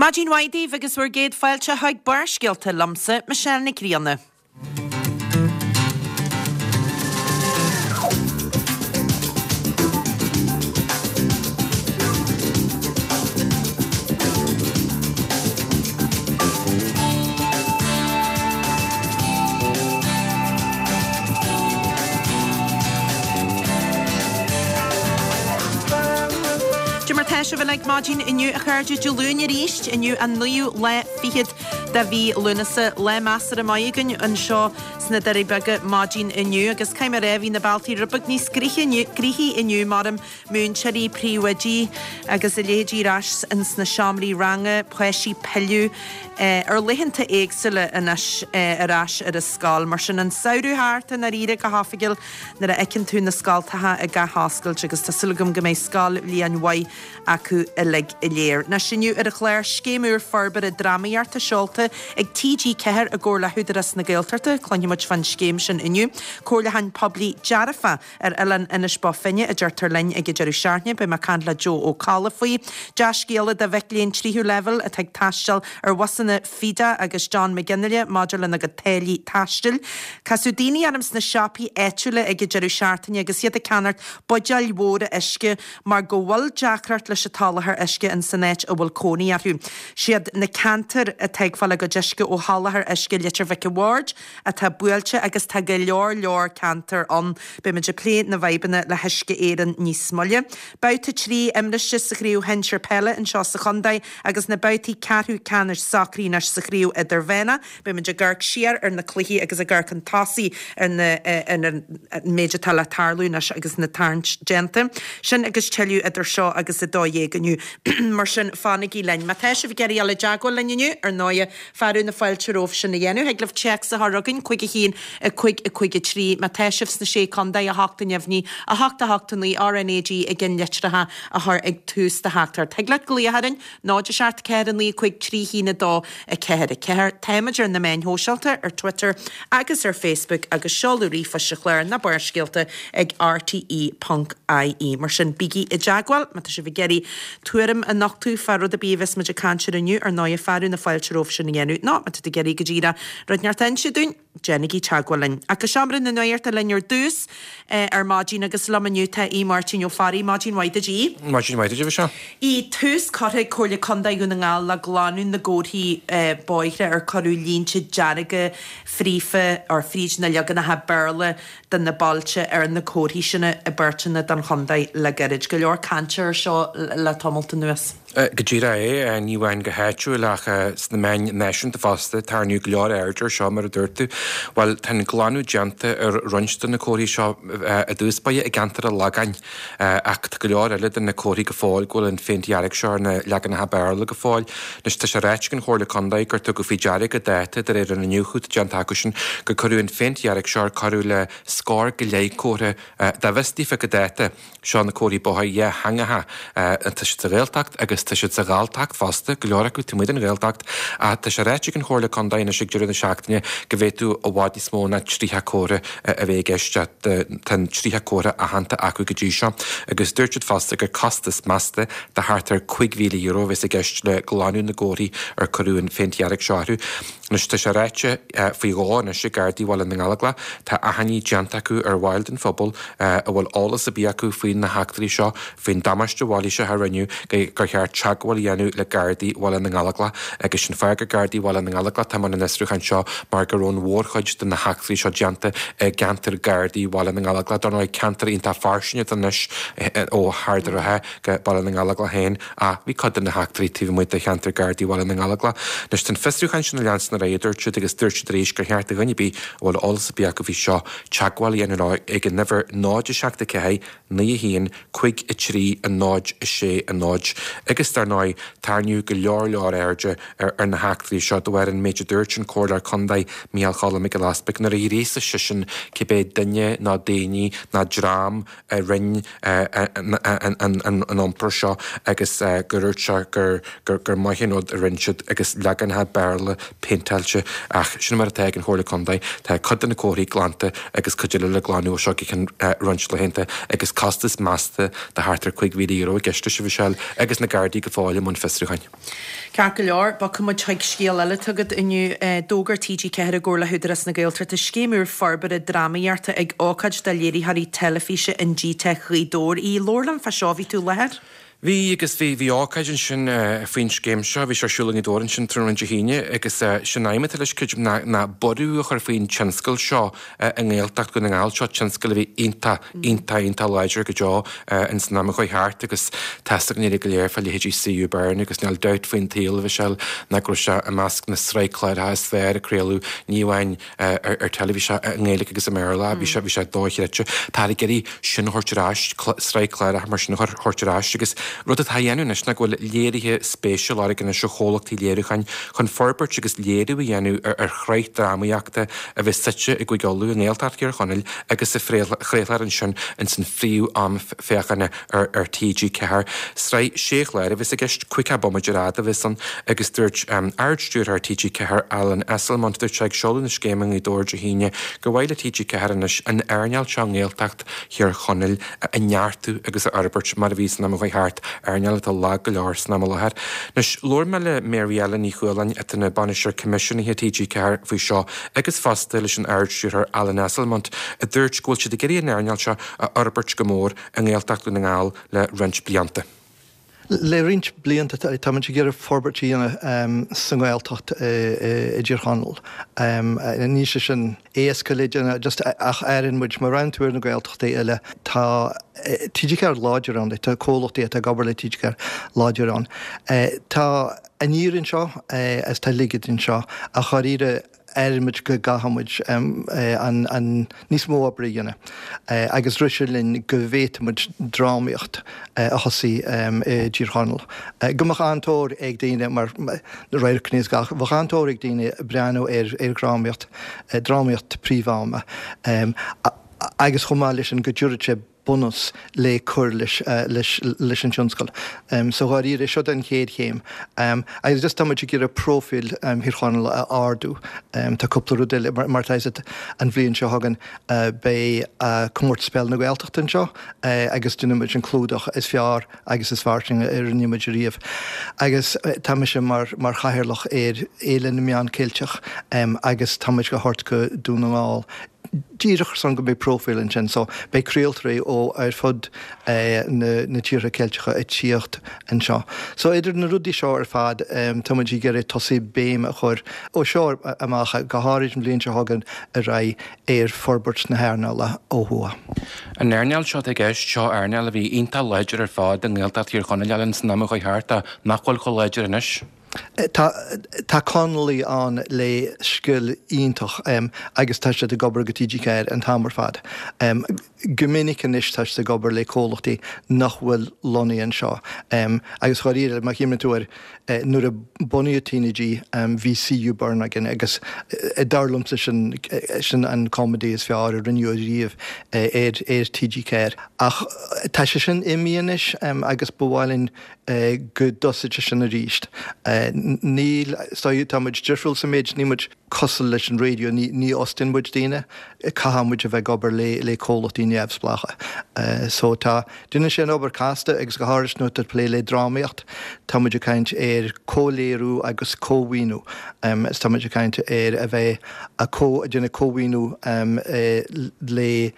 Maidin mhaith daoibh agus bhur gcéad fáilte chuig Barrscéalta liomsa, Michelle Nic Grianna. Cad é mar tá sibh uilig maidin inniu a chairde Dé Luain arís, inniu an naoú lá fichead de mhí Lúnasa, lá measartha maith againn anseo sna Doirí Beaga maidin inniu agus caithfidh mé a rá bhí na bealtaí rud beag níos gnoithí inniu maram múinteoirí, príomhoidí agus a leithéidí ar ais ins na seomraí ranga, páistí ag pilleadh ar laethanta éagsúla anois ar ais ar an scoil. Mar sin an samhradh thart i ndáiríre go hoifigiúil nuair a fheiceann tú na scoltacha ag athoscailt agus tá súil agam go mbeidh scoilbhliain mhaith acu uilig go léir. Anois inniu ar an chlár, scéim úr forbartha drámaíochta seolta ag TG4 i gcomhar le hÚdarás na Gaeltachta, cluinfidh muid fán scéim sin inniu. Comhairliúchán poiblí dearfach Ar oileán Inis Bó Finne, a deirtear linn ag an deireadh seachtaine, beidh mé ag caint le Joe Ó Colla faoi. Dea-scéala do mhic léinn tríú leibhéal atá ag taisteal ar bhusanna Fida agus John McGinley maidir lena gcuid táillí taistil. Casadh daoine orm sna siopaí áitiúla ag an deireadh seachtaine agus iad ag ceannacht buidéil mhóra uisce mar go bhfuil deacracht leis an tsoláthar uisce in san áit a bhfuil cónaí orthu. Siad na ceantair atá ag fáil a gcuid uisce ó sholáthar uisce Leitir Mhic an Bhaird, atá buailte agus tá go leor leor ceantar ann. Beimid ag plé na bhfadhbanna le hUisce Éireann níos moille. Babhta 3 imriste sa chraobh shinsir peile anseo sa chontae agus na babhtaí ceathrú ceannais socraithe anois sa chraobh idirmheánach. Beimid ag amharc siar ar na cluichí agus ag amharc chun tosaigh ar na ar an méid atá le tarlú anois agus na tarraingt déanta. Sin agus tuilleadh idir seo agus 12 inniu. Mar sin fanaigí linn. Má tá sibh ag iarraidh dul i dteagmháil linn inniu, ar ndóighe, Fearadh na fáilte romhaibh sin a dhéanamh. Thig libh téacs a chur chugainn, 5 1 5 5 3. Má tá sibh sna Sé Contae, 8 neamhní, 8 8 9, RnaG i gceannlitreacha a chur ag tús do theachtaireacht. Thig leat glaoch orainn, 0 7 4 9 5 3 1 2 4 4. Táimid ar na meáin shóisialta, ar Twitter agus ar Facebook agus seoladh ríomhphoist an chláir ná Barrscéalta ag rte.ie. Mar sin, bígí i dteagmháil má tá sibh ag iarraidh tuairim a nochtadh fá rud ar bith a bheas muid ag caint air inniu, ar ndóighe, fearadh na fáilte romhaibh sin a dhéanamh, nó má tá tú ag iarraidh go díreach rud inteacht a inse dúinn, déanaigí teagmháil linn. Ach go Seomra na Nuachta linn ar dtús ar maidin agus liom inniu tá Aodh Máirtín Ó Fearraigh. Maidin mhaith duit, Aodh. Maidin mhaith duit, a Mhichelle. Aodh, tús curtha ag Comhairle Contae Dhún na nGall le glanadh na gcomharthaí bóithre ar cuireadh línte dearga fríofa or fríd na leaganacha Béarla de na bailte ar na comharthaí sin i bpáirteanna den chontae le gairid. Go leor cainte air seo le tamalt anuas. Go díreach é, ní amháin go háitiúil ach sna meáin náisiúnta fosta. Tarraingíodh go leor airde air seo, mar a dúirt tú. Bhuel, tá an glanadh déanta ar roinnt de na comharthaí seo i dtús báire i gceantar an Lagáin. Ach tá go leor eile de na comharthaí go fóill go bhfuil an phéint dhearg seo ar na leaganacha Béarla go fóill. Anois tá sé ráite ag an Chomhairle Contae gur tugadh faoi deara go dáta, de réir an iniúchadh atá déanta acusan, gur cuireadh an phéint dhearg seo ar corradh le scór go leith comhartha. Dá bhfios daofa go dáta, seo na comharthaí bóthair dhátheangacha. Tá siad sa Ghaeltacht agus tá siad sa Ghalltacht fosta, go leor acu taobh amuigh den Ghaeltacht. Ach tá sé ráite ag an Chomhairle Contae anois ag deireadh na seachtaine go bhféadfadh i bhfad níos mó ná 30 comhartha a bheith i gceist. Tá an 30 comhartha aitheanta acu go dtí seo agus dúirt siad fosta gur costas measta de thart ar €5,000 a bheas i gceist le glanadh na gcomharthaí ar cuireadh an phéint dhearg seo orthu. Anois tá sé ráite faoi dhó anois ag Gardaí Bhaile na nGallóglach, tá achainí déanta acu ar bhaill den phobal a bhfuil eolas ar bith acu faoi na heachtraí seo, faoin damáiste mhailíseach a rinneadh, gur cheart teagmháil a dhéanamh le Gardaí Bhaile na nGallóglach agus sin fáth gur Gardaí Bhaile na nGallóglach atá i mbun an fhiosrúcháin seo mar go raibh an mhórchuid de na heachtraí seo déanta i gceantar Gardaí Bhaile na nGallóglach. Dar ndóigh, ceantar iontach fairsing atá anois ó Ard an Rátha go Baile na nGallóglach féin ach bhí cuid de na heachtraí taobh amuigh de cheantar Gardaí Bhaile na nGallóglach. Anois tá an fiosrúchán sin ag leanstan ar aghaidh, a dúirt siad, agus dúirt siad arís gur cheart do dhuine ar bith a bhfuil eolas ar bith acu faoi seo teagmháil a dhéanamh leo ag an uimhir 0 7 4 9 1 5 3 0 6 0 Agus dar ndóigh, tarraingíodh go leor leor airde ar na heachtraí seo de bharr an méid a dúirt an Comhairleoir Contae Micheál Choilm Mac Giolla Easpaig nuair a ghríosaigh seisean cibé duine nó daoine nó dream a rinne an iompar seo agus gur dhúirt sé gur maith an rud a rinne siad agus leaganacha Béarla péinteáilte ach sin mar atá ag an Chomhairle Contae. Tá cuid de na comharthaí glanta agus cuid eile le glanadh ó seo go ceann roinnt laethanta agus costas measta de thart ar €5,000 i gceist leis, a Mhichelle, agus na Gardaí. Gardaí go fóill i mbun fiosrúcháin. Ceart go leor, bogfaidh muid chuig scéal eile atá agat inniu. D'fhógair TG4 i gcomhar le hÚdarás na Gaeltachta scéim úr forbartha drámaíochta ag ócáid do léiritheoirí teilifíse in GTeic Ghaoth Dobhair. Aodh, labhair liom fá seo, bhí tú i láthair? Bhí, agus bhí, bhí ócáid ansin faoin scéim seo, bhí sé ar siúl i nGaoth Dobhair ansin tráthnóna Dé hAoine agus sin aidhm atá leis, creidim, ná, ná borradh a chur faoin tionscal seo i nGaeltacht Dhún na nGall, seo tionscal a bhí iontach, iontach, iontach láidir go deo ins an am a chuaigh thart agus tá a fhios againn uilig go léir fá leithéidí CU Burn agus níl dabht faoin tsaol, a Mhichelle, ná go raibh sé i measc na sraith cláracha is fearr a craoladh, ní amháin ar teilifís i nGaeilge agus i mBéarla. Bhí sé, bhí sé dochreidte. Táthar ag iarraidh sin a thabhairt ar ais, sraith cláracha mar sin a thabhairt ar ais agus rud atá á dhéanamh anois ná go bhfuil léirithe spéise á lorg anois ó chomhlachtaí léiriúcháin chun forbairt agus léiriú a dhéanamh ar shraith drámaíochta a bheas suite i gCúige Uladh, i nGaeltacht Thír Chonaill agus a chraolfar ansin ins an phríomh-am féachana ar TG4. Sraith sé chlár a bheas i gceist, 50 bomaite ar fhad a bheas ann agus dúirt Ard-Stiúrthóir TG4 Alan Esslemont, dúirt sé ag seoladh na scéime i nGaoth Dobhair Dé hAoine gur mhaith le TG4 anois an earnáil seo i nGaeltacht Thír Chonaill a neartú agus a fhorbairt mar a bhí san am a chuaigh thart, earnáil atá lag go leor san am i láthair. Anois, labhair mé le Mary Ellen Ní Chualáin atá ina Bainisteoir Coimisiúnaithe TG4 faoi seo agus fosta leis an Ard-Stiúrthóir Alan Esslemont a dúirt go bhfuil siad ag iarraidh an earnáil seo a fhorbairt go mór i nGaeltacht Dhún na nGall le roinnt blianta. Le roinnt blianta táimid ag iarraidh forbairt a dhéanamh sa nGaeltacht i dTír Chonaill. Níl sé sin éasca le déanamh just ach airíonn muid, má bhreathnaíonn tú ar na Gaeltachtaí eile, tá TG4 láidir ann, tá comhlachtaí atá ag obair le TG4 láidir ann. Tá aniar anseo agus tá laige anseo ach dháiríre, airíonn muid go gcaithfidh muid an níos mó oibre a dhéanamh agus rith sé linn go bhféadfadh muid drámaíocht a thosaí i dTír Chonaill. Go mbeadh an-tóir ag daoine mar na radharcanna is gach, bheadh an-tóir ag daoine breathnú ar dhrámaíocht, drámaíocht príomh-ama agus chomh maith leis sin go dtabharfadh sé bunús le cur leis leis an tionscal. So dháiríre, seo an chéad chéim. Agus just tá muid ag iarraidh próifíl Thír Chonaill a ardú. Tá cúpla rud eile, mar tá a fhios agat an bhliain seo chugainn beidh Comórtas Peile na Gaeltachta anseo agus déanfaidh muid an clúdach is fearr agus is fairsinge a rinne muid ariamh. Agus tá mise mar mar chathaoirleach ar Fhéile na Meán Ceilteach agus tá muid á thabhairt go Dún na nGall díreach ar son go mbeidh próifíl ansin. So beidh craoltóirí ó ar fud na tíortha Ceilteacha ag tíocht anseo. So idir na rudaí seo ar fad tá muid ag iarraidh tosaí béim a chur ó seo amach, go háirid an bhliain seo chugainn ar aghaidh, ar forbairt na hearnála ó thuaidh. An earnáil seo atá i gceist, seo earnáil a bhí iontach láidir ar fad i nGaeltacht Thír Chonaill Alan san am a chuaigh thart ach nach bhfuil chomh láidir anois. Tá tá Conallaigh ann le scil iontach agus tá siad ag obair go TG4 an t-am ar fad. Go minic anois tá siad ag obair le comhlachtaí nach bhfuil lonnaithe anseo. Agus dháiríre, má chuimhníonn tú air, nuair a bunaíodh TnaG bhí CU Burn againn agus dar liomsa sin sin an comedy is fearr a rinneadh ariamh ar ar TG4. Ach tá sé sin imithe anois agus ba mhaith linn go dtosódh sé sin arís. Níl, is dóigh, tá muid difriúil sa méid, níl muid cosúil leis an raidió, ní, ní fhostaíonn muid daoine, caithfidh muid a bheith ag obair le, le comhlachtaí neamhspleácha. So tá, déanann sé an obair casta agus go háirid nuair atá tú ag plé le drámaíocht, tá muid ag caint ar comhléiriú agus cómhaoiniú, is tá muid ag caint ar a bheith a có, ag déanamh cómhaoiniú le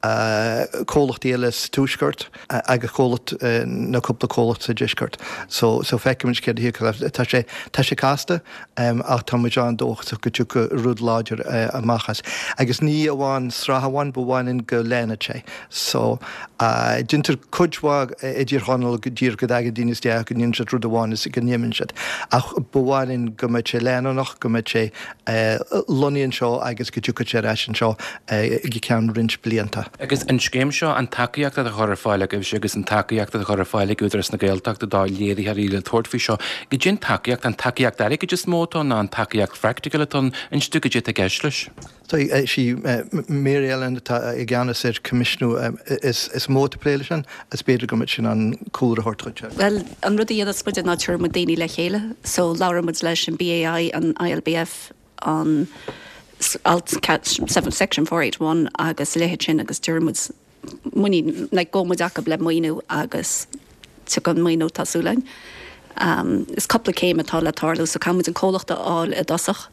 comhlachtaí eile sa tuaisceart agus comhlacht nó cúpla comhlacht sa deisceart. So so feicfimid céard a thiocfadh as. Tá sé tá sé casta ach tá muid an-dóchasach go dtiocfaidh rud láidir amach as. Agus ní amháin sraith amháin, ba mhaith linn go leanfadh sé. So déantar cuid mhaith i dTír Chonaill go díreach go dtagann daoine isteach, go ndéanann siad rud amháin is go n-imíonn siad. Ach ba mhaith linn go mbeadh sé leanúnach, go mbeadh sé lonnaithe anseo agus go dtiocfadh sé ar ais anseo go ceann roinnt blianta. Agus an scéim seo, an tacaíocht atá á chur ar fáil agaibhse agus an tacaíocht atá á chur ar fáil ag Údarás na Gaeltachta do léiritheoirí le tabhairt faoi seo, goidé an tacaíocht, an tacaíocht airgid is mó atá ann nó an tacaíocht phraicticiúil atá ann? Inis domh goidé atá i gceist leis. Is í Mary Ellen atá i gceannas ar coimisiúnú is mó atá ag plé leis sin is b'fhéidir go mbeadh sí in ann cúlra a thabhairt dhuit. Bhuel, an rud a dhéanas muide ná tabharann muid daoine le chéile. So labhrann muid leis an BAI, an ILBF, an Alt Section 481 agus a leithéid sin agus deireann muid muinín, like gabhann muid acu le maoiniú agus tiocfaidh an maoiniú tá súil againn. Is cúpla céim atá le tarlú so caithfidh muid an comhlacht a fháil i dtosach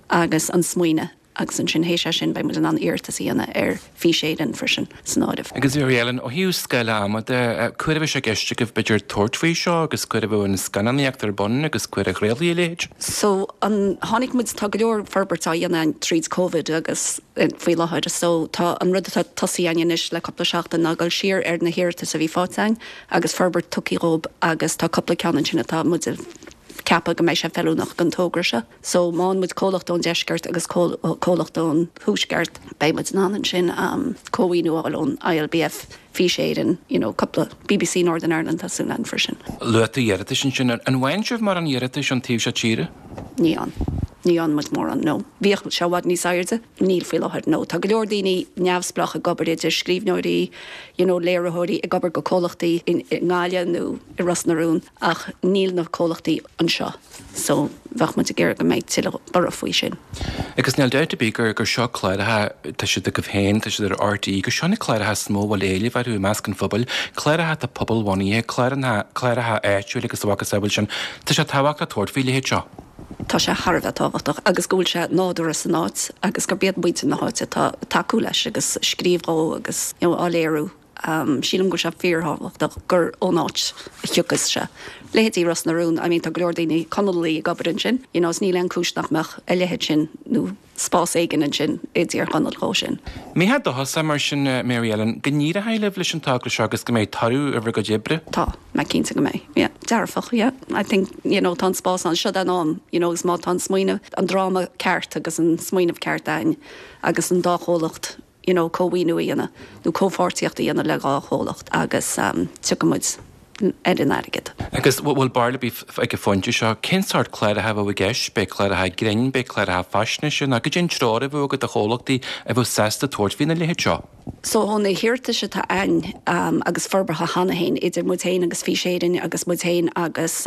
agus an smaoineamh agus ansin théis é sin beidh muid in ann iarratas a dhéanamh ar Fís Éireann freisin san áireamh. Agus Mary Ellen, ó thaobh scála ama de, cá huair a bheidh sé i gceist agaibh b'fhéidir tabhairt faoi seo agus cá huair a bheadh an scannánaíocht ar bun agus cá huair a chraolfaí a leithéid? So an, tháinig muid, tá go leor forbairt á dhéanamh againn tríd Covid agus faoi láthair so tá an rud atá tosaithe againn anois le cúpla seachtain ná dul siar ar na hiarratais a bhí faighte againn agus forbairt tugtha dhóibh agus tá cúpla ceann ansin atá muid ag ceapadh go mbeidh sé feiliúnach don togra seo. So má fhaigheann muid comhlacht ón deisceart agus comhlacht ón thuaisceart beidh muid in ann ansin cómhaoiniú a fháil ón ILBF, Fís Éireann, you know cúpla, BBC Northern Ireland tá súil againn freisin. Luaigh tú iarratais ansin. An bhfaigheann sibh mórán iarratais ón taobh seo tíre? Ní fhaigheann. Ní fhaigheann muid mórán, no. Bhíodh sé i bhfad níos airde. Níl faoi láthair, no. Tá go leor daoine neamhspleách ag obair, idir scríbhneoirí, you know léiritheoirí ag obair go comhlachtaí i nGaillimh nó i Ros na Rún ach níl na comhlachtaí anseo so bheadh muid ag iarraidh go mbeidh tuilleadh borradh faoi sin. Agus níl dabht ar bith gur gur seo cláracha, tá siad agaibh féin, tá siad ar RTÉ, gur seo na cláracha is mó a bhfuil éileamh orthu i measc an phobail, cláracha atá pobalbhunaithe, cláracha áitiúil agus a mhacasamhail sin. Tá sé tábhachtach tabhairt faoi leithéid seo. Tá sé thar a bheith tábhachtach agus go bhfuil sé nádúrtha san áit agus gurb iad muintir na háite atá ag tacú leis agus ag scríobh dhó agus you know á léiriú. Sílim go bhfuil sé fíorthábhachtach gur ón áit a thiocfas sé. Leithéidí Ros na Rún, I mean tá go leor daoine Conallaigh ag obair ansin, you know is níl aon cúis nach mbeadh a leithéid sin nó spás éigin ansin i dTír Chonaill dhó sin. Mbeifeá dóchasach mar sin, Mary Ellen, go n-éireoidh libh leis an togra seo agus go mbeidh toradh ar bhur gcuid oibre? Tá mé cinnte go mbeidh, yeah. Dearfach, yeah. I think, you know, tá an spás ann, seo é an am, you know, agus má tá an smaoineamh, an dráma ceart agus an smaoineamh ceart a'ainn agus an dá chomhlacht, you know, cómhaoiniú a dhéanamh nó comhpháirtíocht a dhéanamh le dhá chomhlacht agus tiocfaidh muid ar an airgead. Agus bhfuil barúil ar bith ag an phointe seo, cén sórt cláracha a bheadh i gceist? Beidh cláracha grinn, beidh cláracha faisnéise nó goidé an treoir a bheadh agat do chomhlachtaí a bheadh sásta tabhairt faoina leithéid seo? So ó na hiarratais atá a'ainn agus forbartha cheana féin idir muid féin agus Fís Éireann agus muid féin agus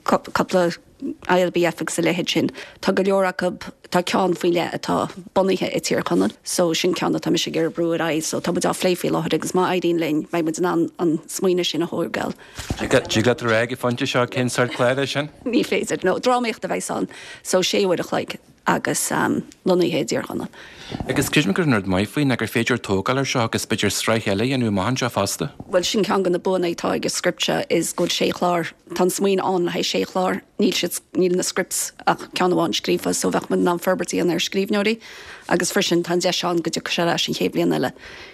cúpla ILBF agus a leithéid sin. Tá go leor acu, tá ceann faoi leith atá bunaithe i Tír Chonaill so sin ceann atá mise ag iarraidh brú ar aghaidh so tá muid á phlé faoi láthair agus má éiríonn linn beidh muid in ann an smaoineamh sin a thógáil. Dtig leat a rá ag an phointe seo cén sórt clár é sin? Ní féidir, no. Drámaíocht a bheas ann so sé uair a chloig agus lonnaithe i dTír Chonaill. Agus creidim gur an rud maith faoi ná gur féidir tógáil ar seo agus b'fhéidir sraith eile a dhéanamh amach anseo fosta. Bhuel sin ceann de na buanna atá ag an script seo is go bhfuil sé chlár, tá an smaoineamh ann le haghaidh sé chlár, níl siad, níl na scripts ach ceann amháin scríofa so bheadh muid in ann forbairt a dhéanamh ar scríbhneoirí agus freisin tá an deis ann go dtiocfaidh sé ar ais an chéad bhliain eile,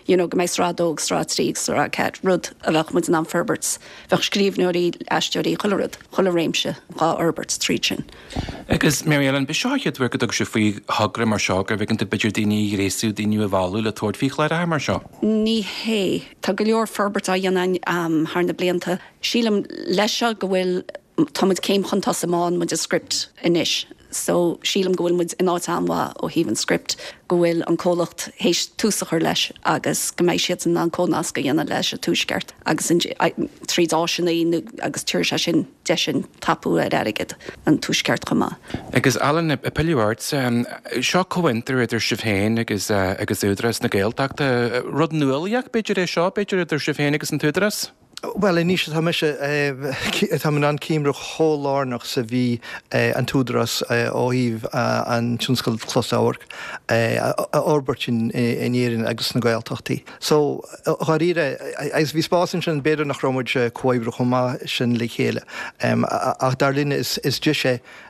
you know go mbeidh sraith a dó agus sraith a trí agus sraith a ceathair, rud a bheadh muid in ann forbairt, bheadh scríbhneoirí, aisteoirí, chuile rud, chuile réimse dhá fhorbairt tríd sin. Agus Mary Ellen, b'é seo an chéad uair go dtug sibh faoi thogra mar seo, gurbh éigean daoibh b'fhéidir daoine a ghréasú, daoine a mhealladh le tabhairt faoi chláracha mar seo? Ní hé. Tá go leor forbairt á dhéanamh againn thar na blianta. Sílim leis seo go bhfuil, tá muid céim chun tosaigh má fhaigheann muid an script anois. So sílim go bhfuil muid in áit an-mhaith ó thaobh an script, go bhfuil an comhlacht théis tús a chur leis agus go mbeidh siadsan in ann comhnasc a dhéanamh leis an Tuaisceart agus tríd áiseanna agus tabharfaidh sé sin deis dúinn tapú ar airgead an Tuaisceart chomh maith. Agus Alan, ag pilleadh ortsa, seo comhfhiontar idir sibh féin agus agus Údarás na Gaeltachta. Rud nuálaíoch b'fhéidir é seo, b'fhéidir, idir sibh féin agus an tÚdarás? Bhuel, anois atá mise, táim in ann cuimhneamh chomh lárnach is a bhí an tÚdarás ó thaobh an tionscal closamhairc a fhorbairt in Éirinn agus sna Gaeltachtaí. So, dháiríre, agus bhí spás ansin, b'fhéidir nach raibh muid ag comhoibriú chomh maith sin le chéile, ach dar linne is deis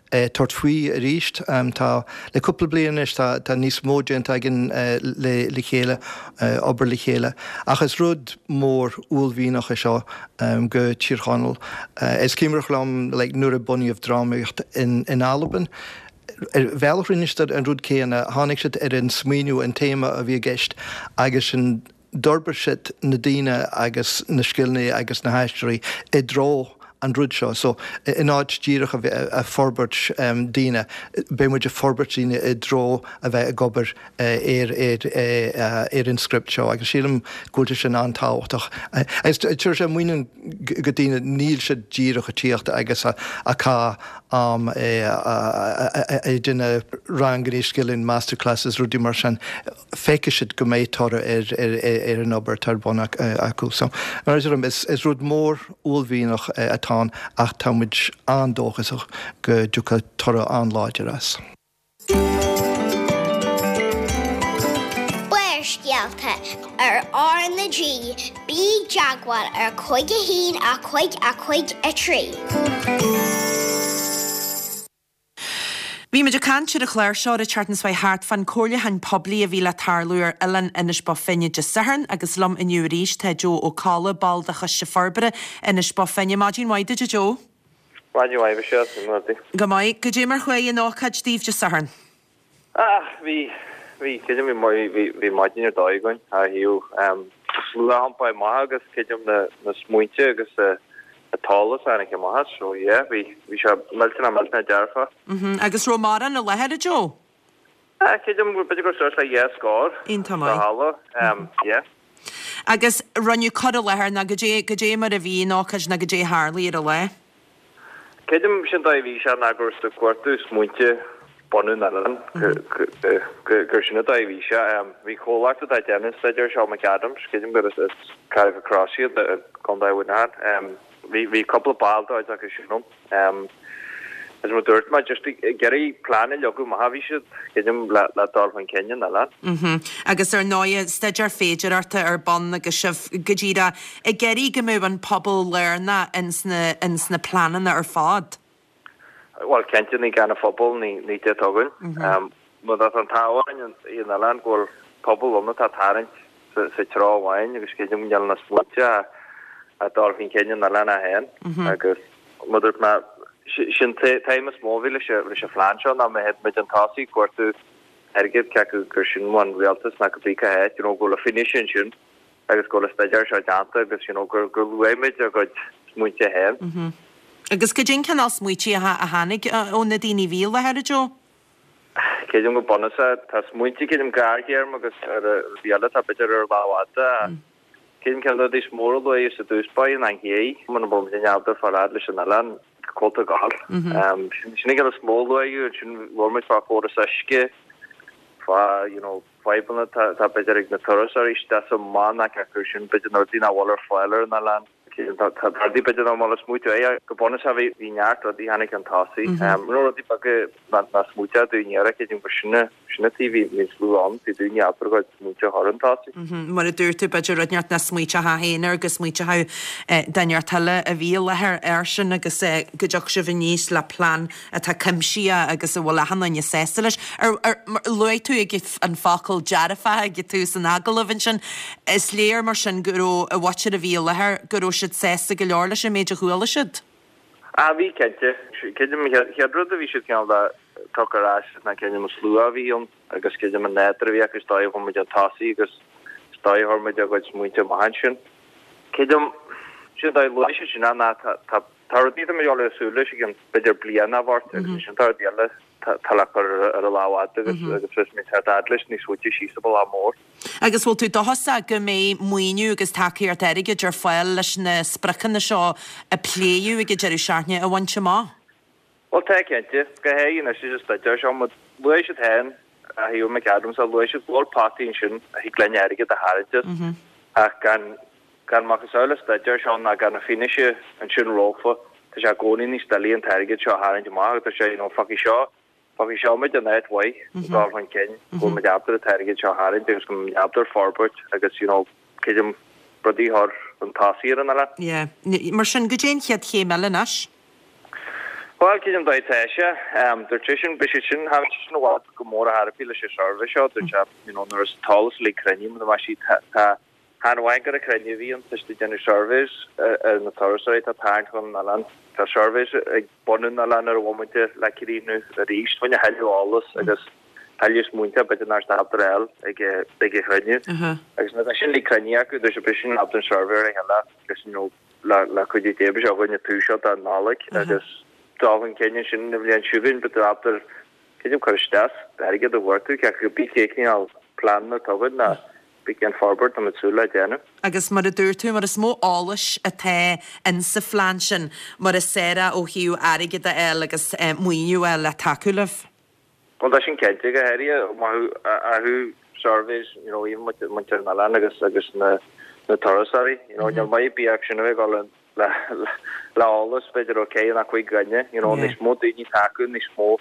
é tabhairt faoi arís. Tá, le cúpla bliain anois, tá tá níos mó déanta againn le le chéile, obair le chéile. Ach is rud mór uaillmhianach é seo go Tír Chonaill. Is cuimhneach liom like nuair a bunaíodh drámaíocht in in Albain, ar bhealach rinne siad an rud céanna, tháinig siad ar an smaoineamh, an téama a bhí i gceist agus sin D'fhorbair siad na daoine agus na scileanna agus na haisteoirí i dtreo an rud seo. So, in áit díreach a bheith ag forbairt daoine, beidh muid ag forbairt daoine i dtreo a bheith ag obair ar ar an script seo agus sílim go bhfuil sé sin an-tábhachtach. Agus tabharfaidh sé muinín go daoine, níl siad díreach ag tíocht agus ag caitheamh am ag déanamh ranganna scileanna, masterclasses, rudaí mar sin. feicfidh siad go mbeidh toradh ar an obair atá ar bun acu. So, mar a deirim, is rud mór uaillmhianach atá. atá ann ach tá muid an-dóchasach go dtiocfaidh toradh an-láidir as. Barrscéalta ar R na G, bí i dteagmháil ar 5 1 5 5 3. Bhí muid ag caint ar an chlár seo an tseachtain seo chuaigh thart fán comhairliúchán poiblí a bhí le tarlú ar Oileán Inis Bó Finne Dé Sathairn agus liom inniu arís tá Joe Ó Colla, ball de Choiste Forbartha Inis Bó Finne. Maidin mhaith duit a Joe. Maidin mhaith Michelle, conas tá tú? Go maith. Goidé mar chuaigh an ócáid daoibh Dé Sathairn? Ah, bhí, bhí, creidim bhí, bhí, bhí maidin ar dóigh againn, ó thaobh slua a iompáil amach agus creidim na, na smaointe agus an t-eolas a tháinig amach as, so yeah, bhí, bhí sé millteanach, millteanach dearfach. Mhm, agus raibh mórán i láthair, a Joe? Ah, creidim, b'fhéidir gur suas le dhá scór Iontach sa maith. halla, yeah. Agus rinneadh cur i láthair nó goidé, goidé mar a bhí an ócáid nó goidé a tharlaigh ar an lá? Creidim sin dóigh a bhí sé ná gur ag cuartú smaointe bunú an oileáin, gur sin an dóigh a bhí sé. Bhí comhlacht atá ag déanamh an staidéir seo, McAdams, creidim gur as Carrickmacross iad i gContae Mhuineacháin. Bhí cúpla ball de chuid acu sin ann. Is mar dúirt mé, just ag iarraidh plean a leagadh amach a bhí siad, creidim, le dul chun cinn an oileáin. Mhm. Agus ar ndóighe, staidéar féidearthachta ar bun agus sibh go díreach ag iarraidh go mbeadh an pobal lárnach ins na, ins na pleananna ar fad. Bhuel, cinnte, ní gan an phobal, ní, ní deit againn. Mar tá an t-ádh orainn i an oileán go bhfuil pobal ann atá ag tarraingt sa treo amháin agus creidim go níl na smaointe ag dul chun cinn an oileán é féin agus mar dúirt mé, sin t-aidhm is mó a bhí leis an phlean seo ná má théid muid chun tosaigh ag cuartú airgid cé acu gur sin ón rialtas ná cibé cá háit, you know, go bhfuil an fianaise ansin agus go bhfuil an staidéar seo déanta agus you know gur gur luaigh muid ár gcuid smaointe féin. Agus goidé an cineál smaoití a tháinig ó na daoine a bhí i láthair, a Joe? Creidim go bunúsach tá smaointe creidim gearrthéarma agus rudaí eile atá b'fhéidir ar an lámh fhada. Creidim ceann de na rudaí is mó a luadh sa dtús báire ná an ché, muna bhfuil muid in ábalta fáil fhad leis an oileán, cá bhfuil tú ag gabháil. Sin an ceann is mó a luadh, ansin labhair muid fá chóras uisce, fá you know fadhbanna atá b'fhéidir ag na turasóirí isteach is amach ná cé acu sin b'fhéidir na rudaí nach bhfuil ar fáil ar an oileán. Tá rudaí b'fhéidir nach bhfuil ag smaoitiú air. Go bunúsach bhí bhí neart rudaí tháinig chun tosaigh. Nó rudaí beaga nach smaoiteodh daoine air creidim gur sin sin an taobh bhí bhí an slua ann, bhí daoine ábalta a gcuid smaointe a chur chun tosaigh. Mar a dúirt tú b'fhéidir rud inteacht nach smaoiteofá féin air go smaoiteodh duine inteacht eile a bhí i láthair air sin agus go dtiocfadh sibh aníos le plean atá cuimsitheach agus a bhfuil achan duine sásta leis. Ar, ar, luaigh tú ag an focal dearfach ag tús an agallaimh ansin. Is léir mar sin go raibh an mhuintir a bhí i láthair, go raibh siad sásta go leor leis an méid a chuala siad. Ah, bhí, cinnte. Creidim an chéad rud a bhí siad cineál de tugtha ar ais ná creidim an slua a bhí ann agus creidim an nádúr a bhí acu is dóigh a chuir muid chun tosaigh agus is dóigh a chuir muid ár gcuid smaointe amach ansin. Creidim, sin an dóigh a luaigh siad sin ná tá, tá, Tá rudaí atá muid ag súil leis i gcionn b'fhéidir bliain a bheart agus ansin tá rudaí eile atá le cur ar an lámh fhada agus agus fios mé tá fhad leis níos faide síos an bealach mór. Agus bhfuil tú dóchasach go mbeidh maoiniú agus tacaíocht airgid ar fáil leis na spriocanna seo a pléadh ag an deireadh seachtaine a bhaint amach? Bhuel tá cinnte, go háirithe anois leis an staidéar seo, mar luaigh siad féin, a thaobh McAdams, a luaigh siad go bhfuil potaí ansin a thig linn airgead a tharraingt as ach gan gan macasamhail an staidéir seo ná gan an fianaise ansin rompu, tá sé i gcónaí níos doiligh an t-airgead seo a tharraingt amach agus tá sé, you know, fágfaidh seo, fágfaidh seo muid in áit mhaith ag dul chun cinn, go bhfuil muid ábalta an t-airgead seo a tharraingt agus go bhfuil muid ábalta forbairt agus, you know, creidim rudaí a chur chun tosaigh ar an oileán. Yeah. Mar sin, goidé an chéad chéim eile anois? Bhuel, creidim dóigh atá sé. Dúirt seisean, beidh siad sin, tháinig sé sin i bhfad go mór ar chor ar bith leis an suirbhé seo, dúirt sé, you know, nuair is an t-eolas uilig cruinnithe, muna mbeidh siad, tá, tá, Chan amháin gur cruinniú a bhí ann, tá siad ag déanamh surveys ar na turasóirí atá ag tarraingt chun an oileáin. Tá surveys ag bunú an oileáin ar an bhomaite le críochnú arís fá choinne thuilleadh eolas agus thuilleadh smaointe b'fhéidir nach raibh ábalta a fháil ag ag an chruinniú. Agus nuair atá sin uilig cruinnithe acu, dúirt sé beidh sin ábalta an suirbhé a rith eile agus you know le le cuidiú Dé beidh sé againn ag tús seo don Nollaig agus dul chun cinn ansin an bhliain seo chugainn beidh ábalta creidim cur isteach airgead a chuartú cé acu bí cé cineál pleananna atá againn ná Bí cén forbairt tá muid súil le déanamh. Agus mar a dúirt tú, mar is mó eolais atá in sa phlean sin, mar is saoire ó thaobh airgead a fháil agus maoiniú a fháil le tacú libh. Bhuel tá sin cinnte, go háirithe ó thaobh surveys, you know, even muintir an oileáin agus agus na na turasóirí, you know, níl maith ar bith acu sin a bheith ag dul in. le le eolas b'fhéidir ó 4 nó 5 dhuine, you know, níos mó daoine atá acu, níos mó,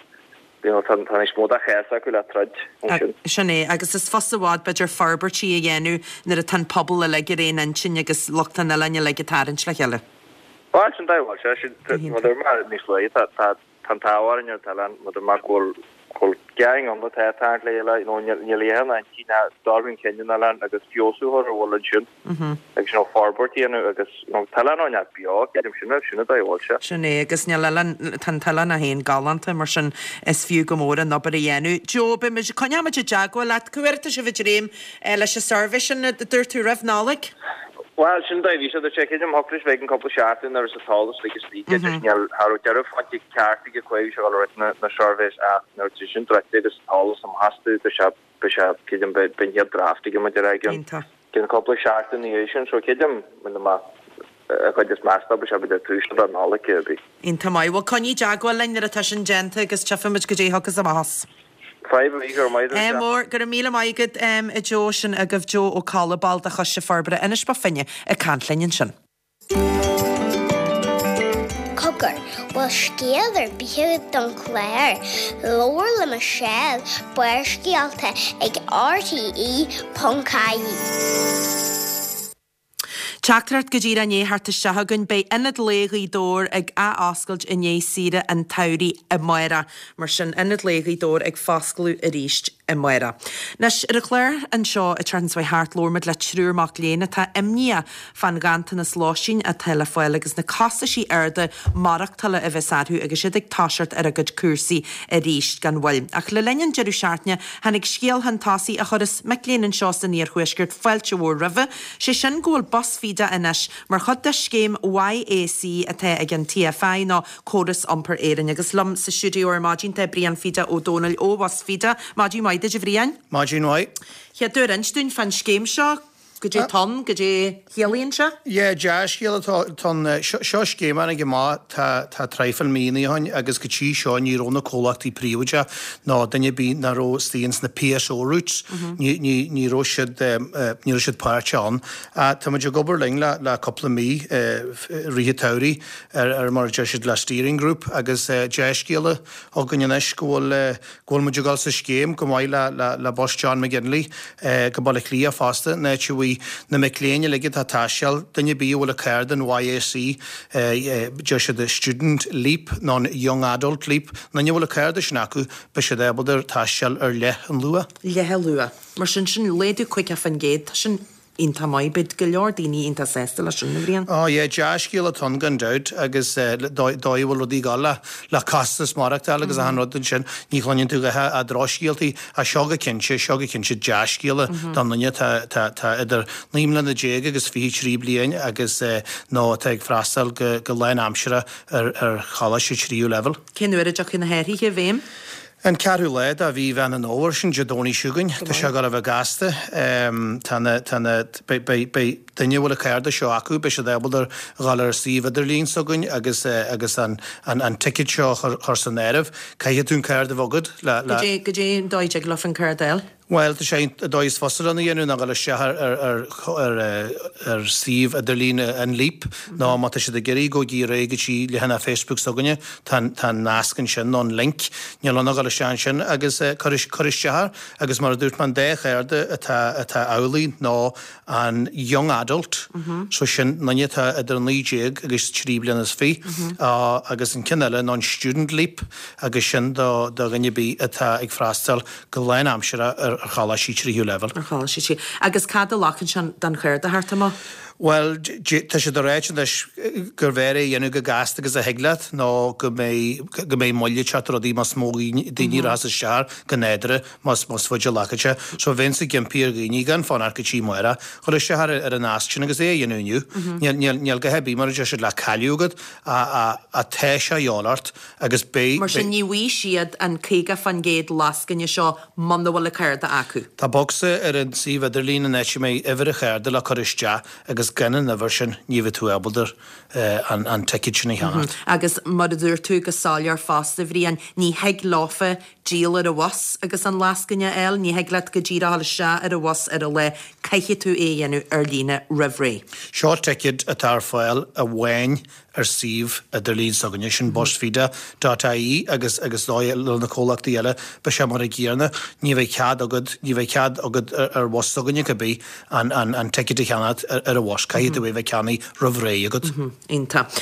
you know, tá tá níos mó de chás acu le troid ansin. Sin é, agus is fusa i bhfad b'fhéidir forbairtí a dhéanamh nuair atá an pobal uilig ar aon intinn agus lucht an oileáin uilig ag tarraingt le chéile. Bhuel, sin dóigh, bhuel, sé sin, mar a dúirt mé níos luaithe, tá tá Tá an t-ádh orainn ar an oileán, mar a dúirt mé, go bhfuil go bhfuil gang ann atá ag tarraingt le chéile, you know, níl níl aon intinn ná dul chun cinn an oileáin agus feabhsú a chur ar a bhfuil ansin agus you know forbairt a dhéanamh agus you know tá an oileán beo, creidim sin é, sin an dóigh a bhfuil sé. Sin é, agus níl oileán, tá an t-oileán é féin galánta, mar sin is fiú go mór an obair a dhéanamh. Joe, beidh muid, coinneoidh muid i dteagmháil leat, cá huair atá sibh ag dréim leis an suirbhé sin a dúirt tú roimh Nollaig? Bhuel, sin dóigh a bhí sé, dúirt sé, creidim thiocfadh leis bheith ag an cúpla seachtain nuair is an t-eolas uilig istigh aige, just níl, cha raibh deireadh faighte ceart aige cá bhí sé ag dul a rith na na surveys ach nuair atá sin druidte agus an t-eolas amach astu, dúirt sé, beidh sé, creidim, beidh an chéad draft aige muid ar aghaidh an ceann cúpla seachtain ina dhiaidh sin, so creidim, mar a chuid is measta, beidh sé b'fhéidir tús de Nollaig ar bith. Iontach maith. Bhuel, coinnigh i dteagmháil linn nuair atá sin déanta agus tchífimid goidé a thiocfas amach as. Fadhb ar bith, go raibh maith agat. Ádh mór, go raibh míle maith agat a Joe, sin agaibh Joe Ó Colla, ball de Choiste Forbartha Inis Bó Finne ag caint linn ansin. Cogar, bhfuil scéal ar bith agat don chlár? Labhair le Michelle, Barrscéalta ag rte.ie. Teachtaireacht go díreach i ndiaidh theacht isteach againn, beidh Ionad Lae Ghaoth Dobhair ag ath-oscailt i ndiaidh saoire an tsamhraidh amárach. Mar sin, Ionad Lae Ghaoth Dobhair ag foscladh arís amárach. Anois, ar an chlár anseo an tseachtain seo chuaigh thart, labhair muid le triúr mac léinn atá imníoch fán ghanntanas lóistín atá le fáil agus na costaisí arda maireachtála a bheas orthu agus iad ag toiseacht ar a gcuid cúrsaí arís gan mhoill. Ach le linn an deireadh seachtaine, tháinig scéal chun tosaigh a chuireas mic léinn anseo san iarthuaisceart fáilte mhór roimhe, sé sin go bhfuil bus Fida anois mar chuid de scéim YAC atá ag an TFI nó Córas Iompair Éireann. Agus liom sa stiúideo ar maidin tá Brian Fida Ó Dónaill ó Bhus Fida. Maidin mhaith duit a Bhriain. Maidin mhaith. Chéad uair inis dúinn fán scéim seo, goidé atá ann, goidé a chiallaíonn sé? Yeah, dea-scéal atá ann. Seo scéim a tháinig amach tá tá traidhfil míonna ó shin agus go dtí seo ní raibh na comhlachtaí príobháideach nó duine ar bith nach raibh istigh ins na PSO routes, ní ní ní raibh siad ní raibh siad páirteach ann. Tá muid ag obair linn le le cúpla mí i rith an tsamhraidh ar ar mar a deir siad le steering group agus dea-scéala againn anois go bhfuil go bhfuil muid ag dul sa scéim go maith le le le bus John McGinley go Baile Átha Cliath fosta, an áit a bhfuil na mic léinn uilig atá ag taisteal, duine ar bith a bhfuil a cárta an YAC, deir siad Student Leap nó an Young Adult Leap, an duine a bhfuil an cárta sin acu, beidh siad ábalta taisteal ar leath an luath. Leath an luath. Mar sin, sin laghdú 50%, tá sin iontach maith. Beidh go leor daoine iontach sásta leis sin, a Bhriain. Oh yeah, dea-scéal atá ann gan dabht agus dóigh a bhfuil rudaí ag dul le le costas maireachtála agus achan rud ansin, ní chluineann tú a dhath ach drochscéaltaí ach seo go cinnte, seo go cinnte dea-scéala don duine atá atá atá idir 19 mbliana agus 23 bliain agus nó atá ag freastal go go lánaimseartha ar ar choláiste tríú leibhéal. Cén uair a dtiocfaidh na hathruithe i bhfeidhm? An ceathrú lá de mhí Mheán an Fhómhair, sin Dé Domhnaigh seo chugainn. Tá sé ag dul a bheith gasta. Tá na, tá na, beidh, beidh, beidh duine a bhfuil an cárta seo acu, beidh siad ábalta a dhul ar an suíomh idirlín s'againn agus, agus an, an, an ticket seo a chur, chur san áireamh. Caithfidh tú an cárta a bheith agat le, le. Goidé, goidé an dóigh a dtig leofa an cárta a fháil? Bhuel, tá sé, an dóigh is fusa lena dhéanamh ná dul isteach ar, ar, ar, ar, ar suíomh idirlín an Leap nó má tá siad ag iarraidh gabhaigí ar aghaidh go dtí leathanach Facebook s'againne, tá an, tá an nasc ansin nó an link, níl ann ach dul isteach ansin agus cur, cur isteach air agus mar a dúirt mé an dá chárta atá, atá amhlaidh ná an Young Adult, so sin duine atá idir 19 agus 23 bliana agus an ceann eile ná an Student Leap agus sin do, do dhuine ar bith atá ag freastal go lánaimseartha ar choláistí tríú leibhéal. Ar choláistí tríú. Agus cad a ghlacann sé don chárta a theacht amach? Bhuel, tá siad ag ráit anois gurbh fhearr é a dhéanamh chomh gasta agus a thig leat nó go mbeidh, go mbeidh moill ag teacht ar rudaí más mó daoine a rachas isteach air go nádúrtha más, más faide a ghlacann sé. So bheinnse ag impí ar dhaoine gan fanacht go dtí amárach, dhul isteach ar, ar an nasc sin agus é a dhéanamh inniu. Níl, níl, níl a dhath ar bith mar a deir siad le cailleadh agat ach, ach tá sé a dhíobháil ort. Agus beidh. Mar sin ní bhfaighidh siad an 50% lascaine seo muna bhfuil an cárta acu. Tá bocsa ar an suíomh idirlín an áit a mbeidh uimhir an chárta le cur isteach agus. agus gan an uimhir sin ní bheidh tú ábalta an ticéad sin a cheannacht. Agus mar a dúirt tú go soiléir fosta, a Bhriain, ní thig leofa díol ar an bhus agus an lascaine a fháil, ní thig leat go díreach a dhul isteach ar an bhus ar an lá, caithfidh tú é a dhéanamh ar líne roimh ré. Seo ticéad atá ar fáil amháin ar suíomh idirlín s'againne, sin busfida dot ie agus agus dóigh le na comhlachtaí eile, beidh sé mar a gcéanna, ní bheidh cead agat, ní bheidh cead agat ar bhus s'againne cibé an an an ticéad a cheannacht ar an bhus, caithfidh tú é bheith ceannaithe roimh ré agat. Iontach.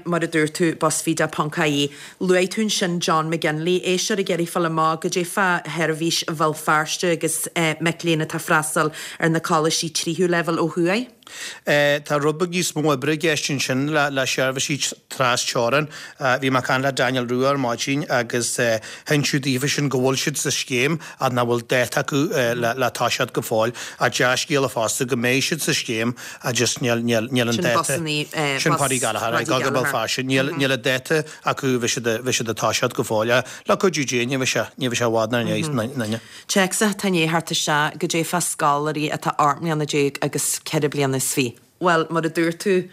Mar a dúirt tú, busfida ponc ie. Luaigh tú ansin John McGinley, éisteoir ag iarraidh fáil amach goidé fá sheirbhís Bhéal Feirste agus mic léinn atá ag freastal ar na coláistí tríú leibhéal ó thuaidh. Tá rud beag níos mó oibre i gceist ansin le seirbhísí tras-teorann. Bhí mé ag caint le Daniel Rua ar maidin agus hinseadh daofa sin go bhfuil siad sa scéim ach nach bhfuil dáta acu le toiseacht go fóill. Ach dea-scéala fosta go mbeidh siad sa scéim ach just níl an dáta. Sin Paddy Gallagher, ag dul go Béal Feirste. Níl an dáta acu bheidh siad bheidh siad ag toiseacht go fóill. Le cuidiú Dé ní bheidh sé ní bheidh sé i bhfad 'na ndiaidh. Téacs atá i ndiaidh theacht isteach, goidé fá scoláirí atá 18 mbliana agus 24 bliana. Bhuel, mar a dúirt tú,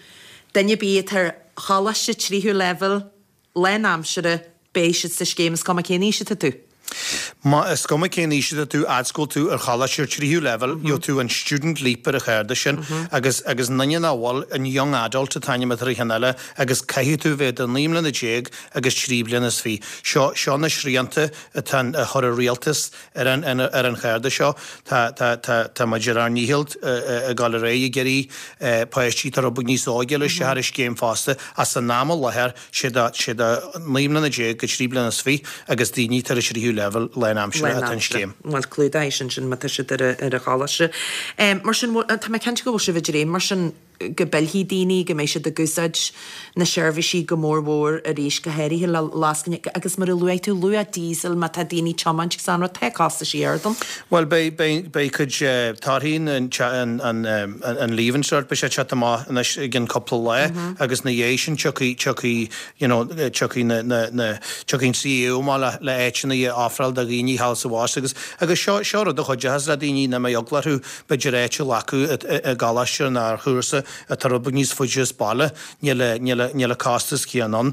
duine ar bith atá ar choláiste tríú leibhéal lánaimseartha, beidh siad sa scéim, is cuma cén aois atá tú. Má, is cuma cén aois atá tú, fhad 's go bhfuil tú ar choláiste tríú leibhéal, gheobhaidh tú an Student Leap ar an chárta sin agus, agus an duine nach bhfuil, an Young Adult an t-ainm atá ar an cheann eile agus caithfidh tú bheith idir 19 mbliana agus 23 bliana. Seo, seo na srianta atá a chuir an rialtas ar an, ar an chárta seo. Tá, tá, tá, tá muid ar ár ndícheall ag dul ar aghaidh ag iarraidh páistí atá rud beag níos óige a fháil isteach ar an scéim fosta ach san am i láthair, sé do, sé do 19 mbliana go 23 bliana agus daoine atá ar an tríú leibhéal lánaimseartha atá an scéim. Bhuel, clúdaíonn sin sin má tá siad ar an choláiste. Mar sin, tá mé cinnte go bhfuil sibh ag dréim mar sin go bpillfidh daoine, go mbeidh siad ag úsáid na seirbhísí go mór mhór arís, go háirithe le lascaine agus mar a luaigh tú, luach díosail má tá daoine ag tiomáint agus an rud, tá costaisí ard ann. Bhuel, beidh, beidh, beidh cuid torthaí an, an, an Leave Insert, beidh sé ag teacht amach anois i gcionn cúpla lá agus ina dhiaidh sin tiocfaidh, tiocfaidh, you know, tiocfaidh na, na, na, tiocfaidh an CAO amach le, le áiteanna a ofráil do dhaoine thall sa bhus agus, agus seo, seo rud a chuideochas le daoine nach mbeidh eagla orthu b'fhéidir áit a ghlacadh i, i gcoláiste nó ar chúrsa atá rud beag níos faide as baile, níl a, níl a, níl an costas céanna ann.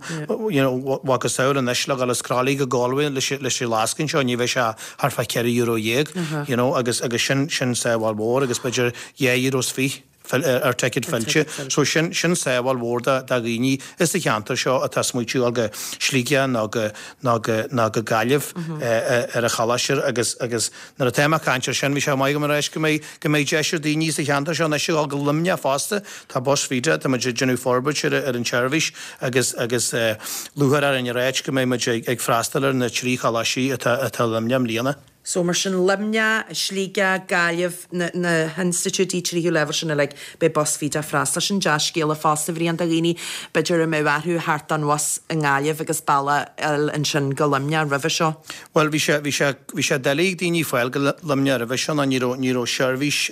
You know, macasamhail anois le dhul as Crolly go Galway leis, leis an lascaine seo ní bheidh sé thart fá €14, you know, agus, agus sin, sin sábháil mhór agus b'fhéidir €2.20 ar ticéad fillte. So sin, sin sábháil mhór do, do dhaoine sa cheantar seo atá ag smaoitiú dul go Sligeach nó go, nó go, nó go Gaillimh ar an choláiste agus, agus nuair atá mé ag caint ar sin bhí sé maith agam a ráit go mbeidh, go mbeidh deis ar daoine sa cheantar seo anois a dhul go Luimneach fosta. Tá Bus Feda, tá muid ag déanamh forbairt ar, ar an tseirbhís agus, agus lúcháir orainn a ráit go mbeidh muid ag, ag freastal ar na trí choláistí atá, atá i Luimneach i mbliana. So mar sin Luimneach, Sligeach, Gaillimh, na, na hinstitiúidí tríú leibhéal sin uilig, beidh Bus Feda ag freastal. Sin dea-scéala fosta, a Bhriain, do dhaoine b'fhéidir a mbeadh orthu theacht den bhus i nGaillimh agus bealach a fháil ansin go Luimneach roimhe seo. Bhuel, bhí sé, bhí sé, bhí sé doiligh ag daoine fáil go Luimneach roimhe seo nó ní raibh, ní raibh seirbhís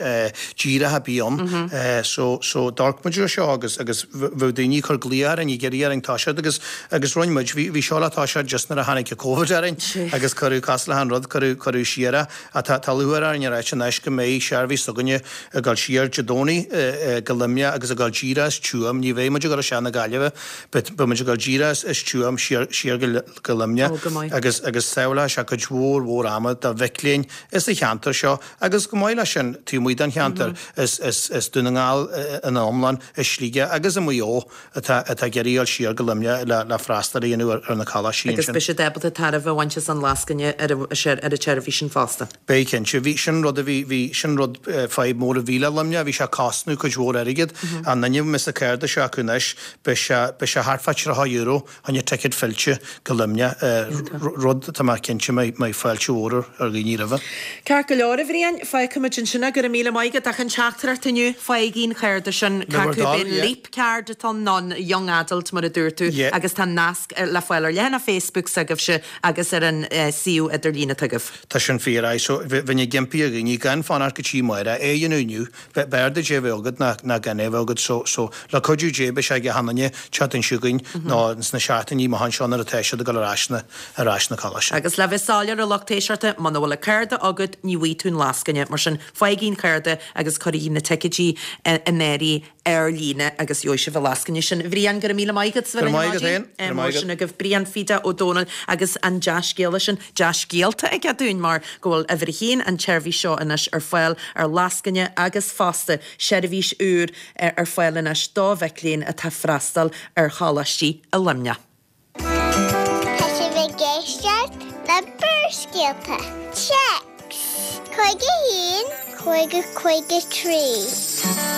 díreach ar bith ann. So, so d'amharc muid ar seo agus, agus bheadh daoine ag cur glaoch orainn, ag iarraidh orainn toiseacht agus, agus rinne muid, bhí, bhí seo le toiseacht just nuair a tháinig an Covid orainn agus cuireadh, cosúil le achan rud, cuireadh, cuireadh siar é. Ach tá, tá lúcháir orainn a ráit anois go mbeidh seirbhís s'againne ag dul siar Dé Domhnaigh go Luimneach agus ag dul díreach as Tuaim, ní bheidh muid ag dul isteach na Gaillimhe, but beidh muid ag dul díreach as Tuaim siar, siar go, go Luimneach. Ó, go maith. Agus, agus sábhálfaidh sé cuid mhór mhór ama do mhic léinn sa cheantar seo agus chomh maith leis sin taobh amuigh den cheantar is, is, is Dún na nGall ina iomlán, is Sligeach agus i Maigh Eo atá, atá ag iarraidh dul siar go Luimneach le, le freastal a dhéanamh ar, ar na coláistí Agus ansin. beidh siad ábalta tairbhe a bhaint as an lascaine ar an, ar an tseirbhís sin fosta. Beidh cinnte. Bhí, sin rud a bhí, bhí, sin rud, fadhb mór a bhí le Luimneach, bhí sé ag cosnú cuid mhór airgid. An duine a mbeas an cárta seo acu anois, beidh sé, beidh sé thart fá €30 Choinne ticéad fillte go Luimneach, rud atá mé cinnte mbeidh fáilte mhór ar dhaoine roimhe. Ceart go leor, a Bhriain, fágfaimid ansin é. Go raibh míle maith agat as an teachtaireacht inniu. Faighigí an cárta sin. Le bhur Cé acu dtoil, b'in yeah. Leap Card atá ann nó an Young Adult mar a dúirt tú Yeah. agus tá nasc le fáil ar leathanach Facebook s'agaibhse agus ar an suíomh idirlín atá agaibh. Tá. sin fíor, aye. So, bheinn ag impí ar dhaoine gan fanacht go dtí amárach, é a dhéanamh inniu. B'fhearr duit é a bheith agat ná ná gan é a bheith agat. So, so, le cuidiú Dé beidh sé ag achan duine an tseachtain seo chugainn nó ins na seachtainí amach anseo nuair atá siad ag dul ar ais na, ar ais na coláiste. Agus le bheith soiléir a lucht éisteachta, muna bhfuil an cárta agat, ní bhfaighidh tú an lascaine. Mar sin, faighigí an cárta agus cuirigí na ticéidí in áirithe ar líne agus gheobhaidh sibh an lascaine sin. A Bhriain, go raibh míle maith agat as a bheith linn ar maidin. Go raibh maith agat féin. Mar sin agaibh Brian Pheda Ó Domhnaill agus an dea-scéala sin, dea-scéalta aige dúinn mar go bhfuil uimhir a haon an tseirbhís seo anois ar fáil ar lascaine agus fosta seirbhís úr ar fáil anois do mhic léinn atá ag freastal ar choláistí i Luimneach. Tá sibh ag éisteacht le Barrscéalta. Téacs 51 50 53.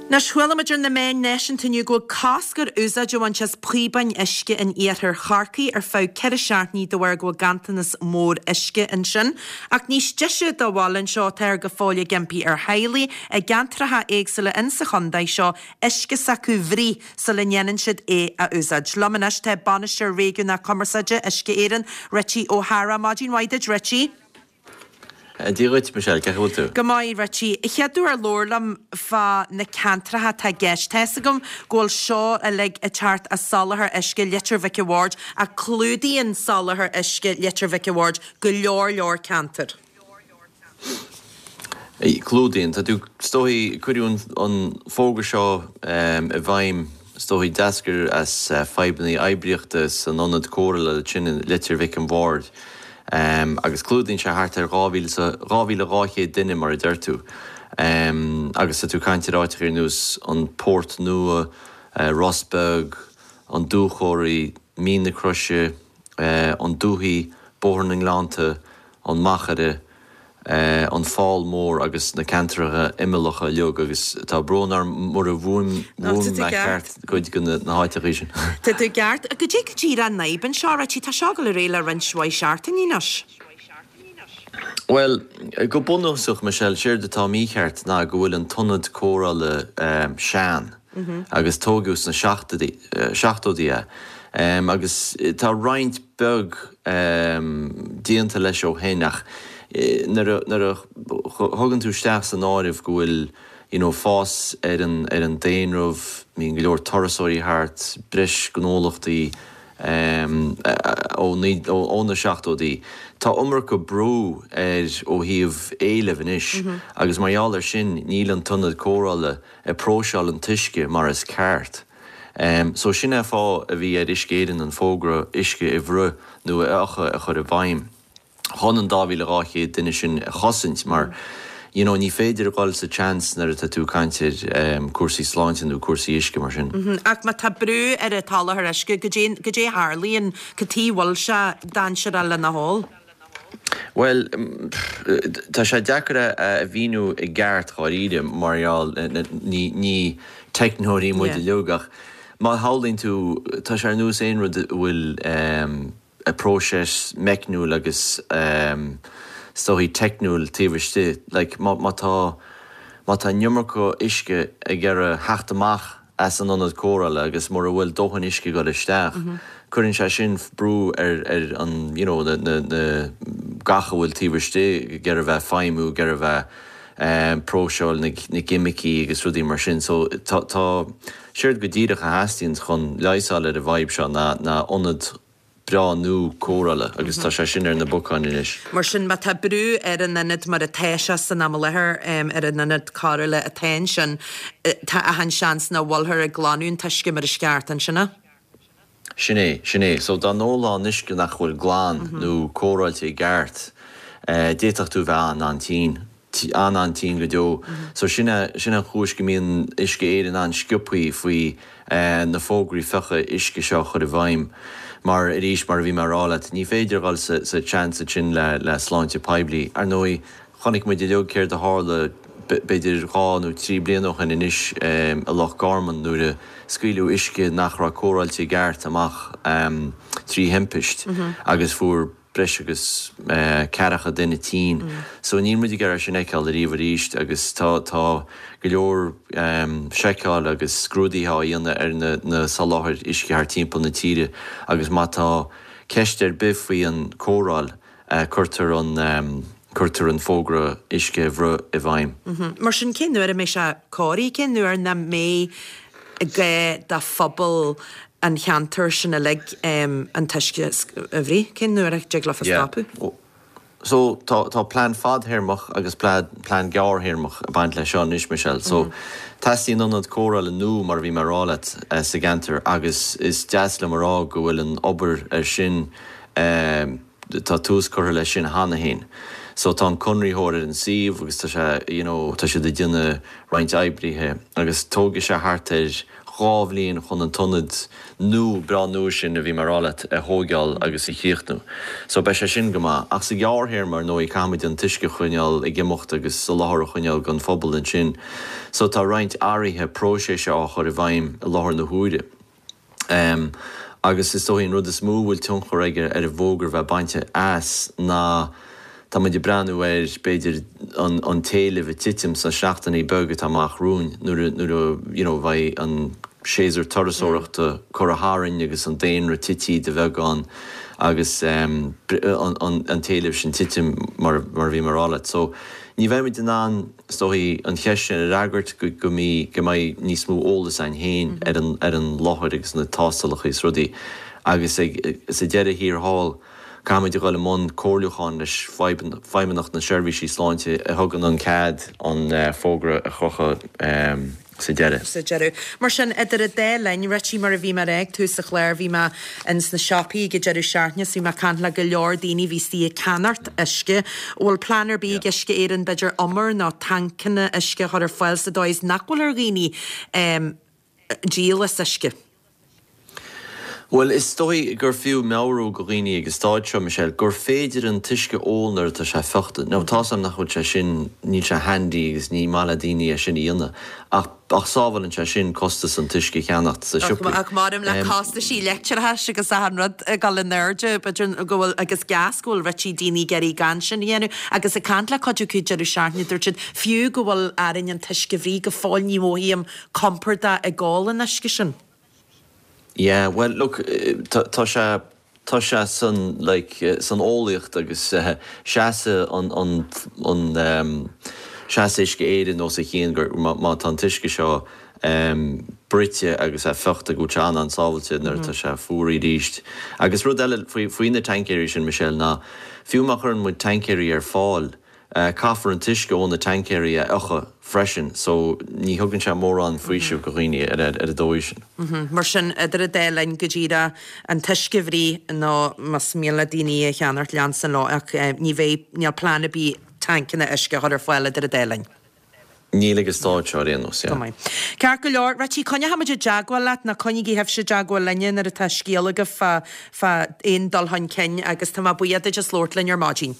Anois, chuala muid ar na meáin náisiúnta inniu go bhfuil cosc ar úsáid a bhaint as píobáin uisce in iarthar Chorcaí ar feadh 4 seachtainí de bharr go bhfuil ganntanas mór uisce ansin. Ach níos deise dá bhfuil anseo, táthar go fóill ag impí ar theaghlaigh i gceantracha éagsúla insa chontae seo uisce s'acu a bhruith sula ndéanann siad é a úsáid. Liom anois tá Bainisteoir Réigiúnach Cumarsáide Uisce Éireann, Richie Ó hEadhra. Maidin mhaith duit, Richie. Dia dhuit, Michelle, cén chaoi a bhfuil tú? Go maith, Richie. Chéaduair labhair liom fá na ceantracha atá i gceist. Tá fhios agam go bhfuil seo uilig ag teacht as soláthar uisce Leitir Mhic a' Bhaird ach clúdaíonn soláthar uisce Leitir Mhic a' Bhaird go leor leor ceantar. Clúdaíonn. Tá tú, is dóigh, cuireadh an fógra seo i bhfeidhm, is dóigh, d'eascair as fadhbanna oibríochta san ionad cóireála sin i Leitir Mhic an Bhaird agus clúdaíonn sé thart ar 2,200 duine mar a deir tú agus tá tú ag caint ar áiteacha ar nós an Port Nua, Ros Beag, an Dúchoraidh, Mín na Croise, an Dúthaigh, Bóthar na nGleannta, an Machaire, an Fál Mór agus na ceantracha imeallacha uilig agus tá brón orm mura bhfuaim mé ceart cuid de na háiteachaí sin. Tá tú ceart. Goidé go díreach an fhadhb anseo, Richie? Tá seo ag dul ar aghaidh le roinnt mhaith seachtainí anois. Bhuel, go bunúsach, Michelle, séard atá mícheart ná go bhfuil an t-ionad cóireála sean agus tógadh sna seachtóidí é agus tá roinnt beag déanta leis ó shin ach nuair a thugann tú isteach san áireamh go bhfuil you know fás ar an ar an daonra, bíonn go leor turasóirí thart, breis gnólachtaí ó ó na seachtóidí, tá iomarca brú air ó thaobh éilimh anois agus mar gheall air sin níl an t-ionad cóireála ag próiseáil an t-uisce mar is ceart. So sin é fáth a bhí ar Uisce Éireann an fógra uisce a bhruith nó a fhiuchadh a chur i bhfeidhm chun an 2,200 duine sin a chosaint mar you know ní féidir a dhul sa tseans nuair atá tú ag caint ar cúrsaí sláinte nó cúrsaí uisce mar sin. Ach má tá brú ar an tsoláthar uisce, goidé goidé a tharlaíonn, cad chuige a bhfuil sé dainséarach lena hól? Bhuel, tá sé deacair a mhíniú i gceart dháiríre mar gheall, ní teicneoirí muid uilig ach má shamhlaíonn tú, tá sé ar nós aon rud a bhfuil próiseas meicniúil agus is dóichí teicniúil taobh istigh. Like má tá, má tá an iomarca uisce ag iarraidh theacht amach as an ionad cóireála agus mura bhfuil dóthain uisce ag dul isteach, cuireann sé sin brú ar ar an you know na na na gach a bhfuil taobh istigh ag iarraidh bheith feidhmiú, ag iarraidh bheith próiseáil na na gceimicí agus rudaí mar sin. So tá tá séard go díreach a theastaíonn chun leigheas a fháil ar an bhfadhb seo ná ná ionad breá nua cóireála agus tá sé sin ar na bacáin anois. Mar sin, má tá brú ar an ionad mar atá sé san am i láthair, ar an ionad cóireála atá ansin, tá achan seans nach bhfuilthear ag glanadh an t-uisce mar is ceart, an sin é? Sin é, sin é. So dá n-ólfá an uisce nach bhfuil glan nó cóireáilte i gceart, d'fhéadfadh tú bheith an-an-tinn. an-an-tinn go deo. So sin é, sin an chúis go mbíonn Uisce Éireann an-sciobthaí faoi na fógraí fiuchadh uisce seo a chur i bhfeidhm. Mar, arís, mar a bhí mé a rá leat, ní féidir a dhul sa, sa tseans ansin le, le sláinte poiblí. Ar ndóigh, chonaic muid uilig céard a tharla b'fhéidir dhá nó trí bliana ó shin anois i Loch Garman nuair a scaoileadh uisce nach raibh cóireáilte i gceart amach trí thimpist agus fuair breis agus ceathracha duine tinn. So níl muid ag iarraidh sin a fheiceáil ariamh arís agus tá tá go leor seiceáil agus scrúdaithe á dhéanamh ar na na soláthair uisce thar timpeall na tíre agus má tá. ceist ar bith faoi an cóireáil, cuirtear an, cuirtear an fógra uisce a bhruith i bhfeidhm. Mar sin, cén uair a mbeidh sé cóirithe? Cén uair nach mbeidh gá do phobal an cheantair sin uilig an t-uisce a bhruith? Cén uair a dtig leofa stopadh? So, tá, tá plean fadthéarmach agus plean, plean gearrthéarmach ag baint leis seo anois, Michelle. So, teastaíonn ionad cóireála nua, mar a bhí mé a rá leat, sa gceantar agus is deas liom a rá go bhfuil an obair ar sin, tá tús curtha leis sin cheana féin. So, tá an conraitheoir ar an suíomh agus tá sé, you know, tá siad ag déanamh roinnt oibrithe agus tógfaidh sé thart ar, 2 bhliain chun an t-ionad nua, breá nua sin a bhí mé a rá leat a thóigeáil agus a chríochnú. So beidh sé sin go maith. Ach sa ghearrthéarma, ar ndóigh, caithfimid an t-uisce a choinneáil ag imeacht agus soláthar a choinneáil don phobal ansin. So tá roinnt athruithe próiseas á chur i bhfeidhm i láthair na huaire. Agus is dóigh an rud is mó a bhfuil tionchar aige ar an bhfógra bheith bainte as ná tá muid ag breathnú ar, b'fhéidir, an an t-éileamh ag titim sna seachtainí beaga atá amach romhainn nuair a nuair a you know bheidh an séasúr turasóireachta curtha tharainn agus an daonra tití de bheagán agus an an t-éileamh sin titim mar mar a bhí mé a rá leat. So ní bheidh muid in ann is dóigh an cheist sin a fhreagairt go go mí go mbeidh níos mó eolas againn féin ar an ar an láthair agus na tástálacha is rudaí agus ag sa deireadh thiar thall Caithfimid a dhul i mbun comhairliúcháin leis Feidhmeannacht na Seirbhísí Sláinte a thugann an cead an fógra a chrochadh sa deireadh. sa deireadh. Mar sin, idir an dá linn, Richie, mar a bhí mé a rá ag tús an chláir, bhí mé ins na siopaí ag an deireadh seachtaine is bhí mé ag caint le go leor daoine a bhí istigh ag ceannacht uisce. An bhfuil plean ar bith ag Uisce Éireann b'fhéidir umar nó tancanna uisce a chur ar fáil sa dóigh is nach bhfuil ar dhaoine díol as uisce? Bhuel, is dóigh gur fiú meabhrú go dhaoine ag an stáid seo, Michelle, gur féidir an t-uisce a ól nuair atá sé fiuchta. Now, tá's a'm nach bhfuil sé sin, níl sé handy agus ní maith le daoine é sin a dhéanamh, ach, ach sábhálann sé sin costas an t-uisce a cheannacht sa siopaí. Ach maram le costaisí leictreachais agus achan rud ag dul in airde, b'fhéidir go bhfuil, agus gás, go bhfuil roinnt daoine ag iarraidh gan sin a dhéanamh. Agus ag caint le cuid acu deireadh seachtaine, dúirt siad, fiú go bhfuil orainn an t-uisce a bhruith go fóill ní mhothaím compordach ag ól an uisce sin. Yeah, well look, tá sé, tá sé san like san eolaíocht agus seasann an, an, an, seasann Uisce Éireann os a chionn gur má, má tá an t-uisce seo bruite agus é fiuchta go bhfuil sé an-an-sábhailte nuair atá sé fuaraithe arís. Agus rud eile faoi, faoi na taincéirí sin, Michelle, ná fiú má chuireann muid taincéirí ar fáil, Caithfear an t-uisce ó na taincéirí a fhiuchadh freisin so ní thugann sé mórán faoisimh go dhaoine ar an dóigh sin. Mar sin, idir an dá linn, go díreach, an t-uisce a bhruith nó más mian le daoine é a cheannacht, leanstan leo ach ní bheidh, níl plean ar bith tancanna uisce a chur ar fáil idir an dá linn. Níl ag an stáid seo ar aon nós, yeah. Go maith. Ceart go leor, Richie, coinneoidh muid i dteagmháil leat nó coinnígí sibhse i dteagmháil linne nuair atá scéal agaibh fá, fá aon dul chun cinn agus tá mé buíoch duit as labhairt linn ar maidin.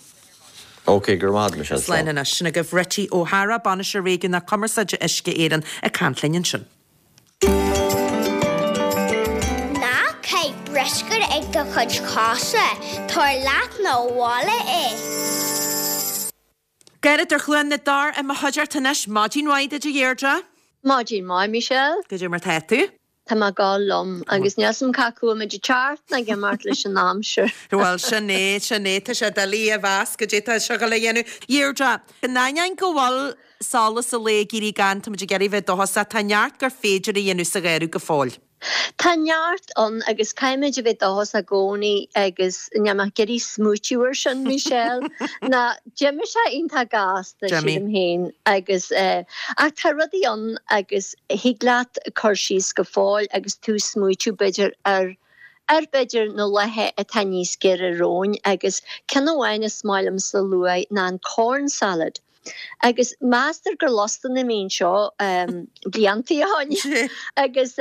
Ok, go raibh maith agat, Michelle. Slán anois. Sin agaibh Richie Ó hEadhra, Bainisteoir Réigiúnach Cumarsáide Uisce Éireann ag caint linn ansin. Ná caith bruscar ag do chuid cosa, tabhair leat 'na bhaile é. Gearóid ó Chluain na dTor i mo chuideachta anois. Maidin mhaith duit a Dheirdre. Maidin mhaith, Michelle. Goidé mar tá tú? Tá mé ag gabháil liom agus níl 's a'm cá acu bhfuil muid ag teacht ná ag imeacht leis an aimsir. Bhuel, sin é, sin é. Tá sé doiligh a mheas goidé tá sé ag dul a dhéanamh. Deirdre, in ainneoin go bhfuil solas an lae ag éirí gann, tá muid ag iarraidh bheith dóchasach, tá neart gur féidir a dhéanamh sa gheimhreadh go fóill. Tá neart ann agus caithfimid a bheith dóchasach i gcónaí agus níl mé ag iarraidh smaoitiú air sin, Michelle, ná d'imigh sé iontach gasta, sílim féin, agus ach tá rudaí ann agus thig leat cur síos go fóill agus tú ag smaoitiú b'fhéidir ar ar b'fhéidir na laethe atá níos giorra romhainn agus ceann amháin is maith liomsa a lua ná an corn salad. Agus meastar gur lasta na mbíonn seo bliantaí ó shin. Agus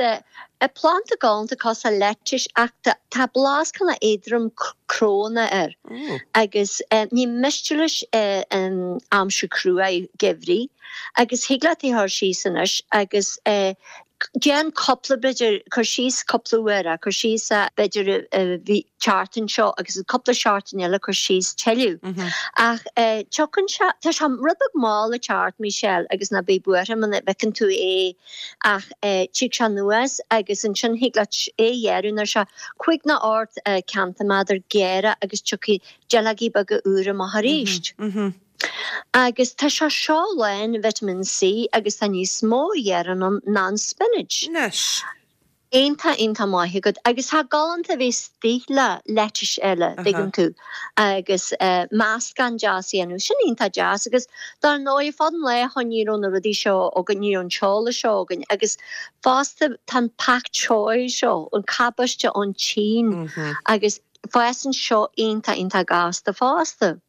planda galánta cosúil le lettuce ach tá blas cineál éadrom crónach air. Agus ní miste leis an aimsir cruaidh geimhridh. Agus thig leat é a chur síos anois agus. Déan cúpla, b'fhéidir, cur síos cúpla uair é, cur síos é b'fhéidir an tseachtain seo agus cúpla seachtain eile cur síos tuilleadh. Ach tiocfaidh sé, tá sé rud beag mall ag teacht, Michelle, agus ná bí buartha muna bhfeiceann tú é ach tig sé anuas agus ansin thig leat é a ghearradh nuair sé 5 nó 8 ceintiméadar géire agus tiocfaidh duilleogaí beaga úra amach arís. Agus tá sé seo lán vitamin C agus tá níos mó iarainn ann ná an spinach. Anois. Iontach, iontach maith agat. Agus tá galánta a bheith istigh le lettuce eile, dtuigeann tú, agus meascán deas a dhéanamh. Sin iontach deas. Agus dar ndóigh, fad an lae ó ní raibh na rudaí seo againn, ní raibh an t-eolas seo againn. Agus fosta tá an pak choi seo, an cabáiste ón tSín, agus fásann seo iontach, iontach gasta fosta.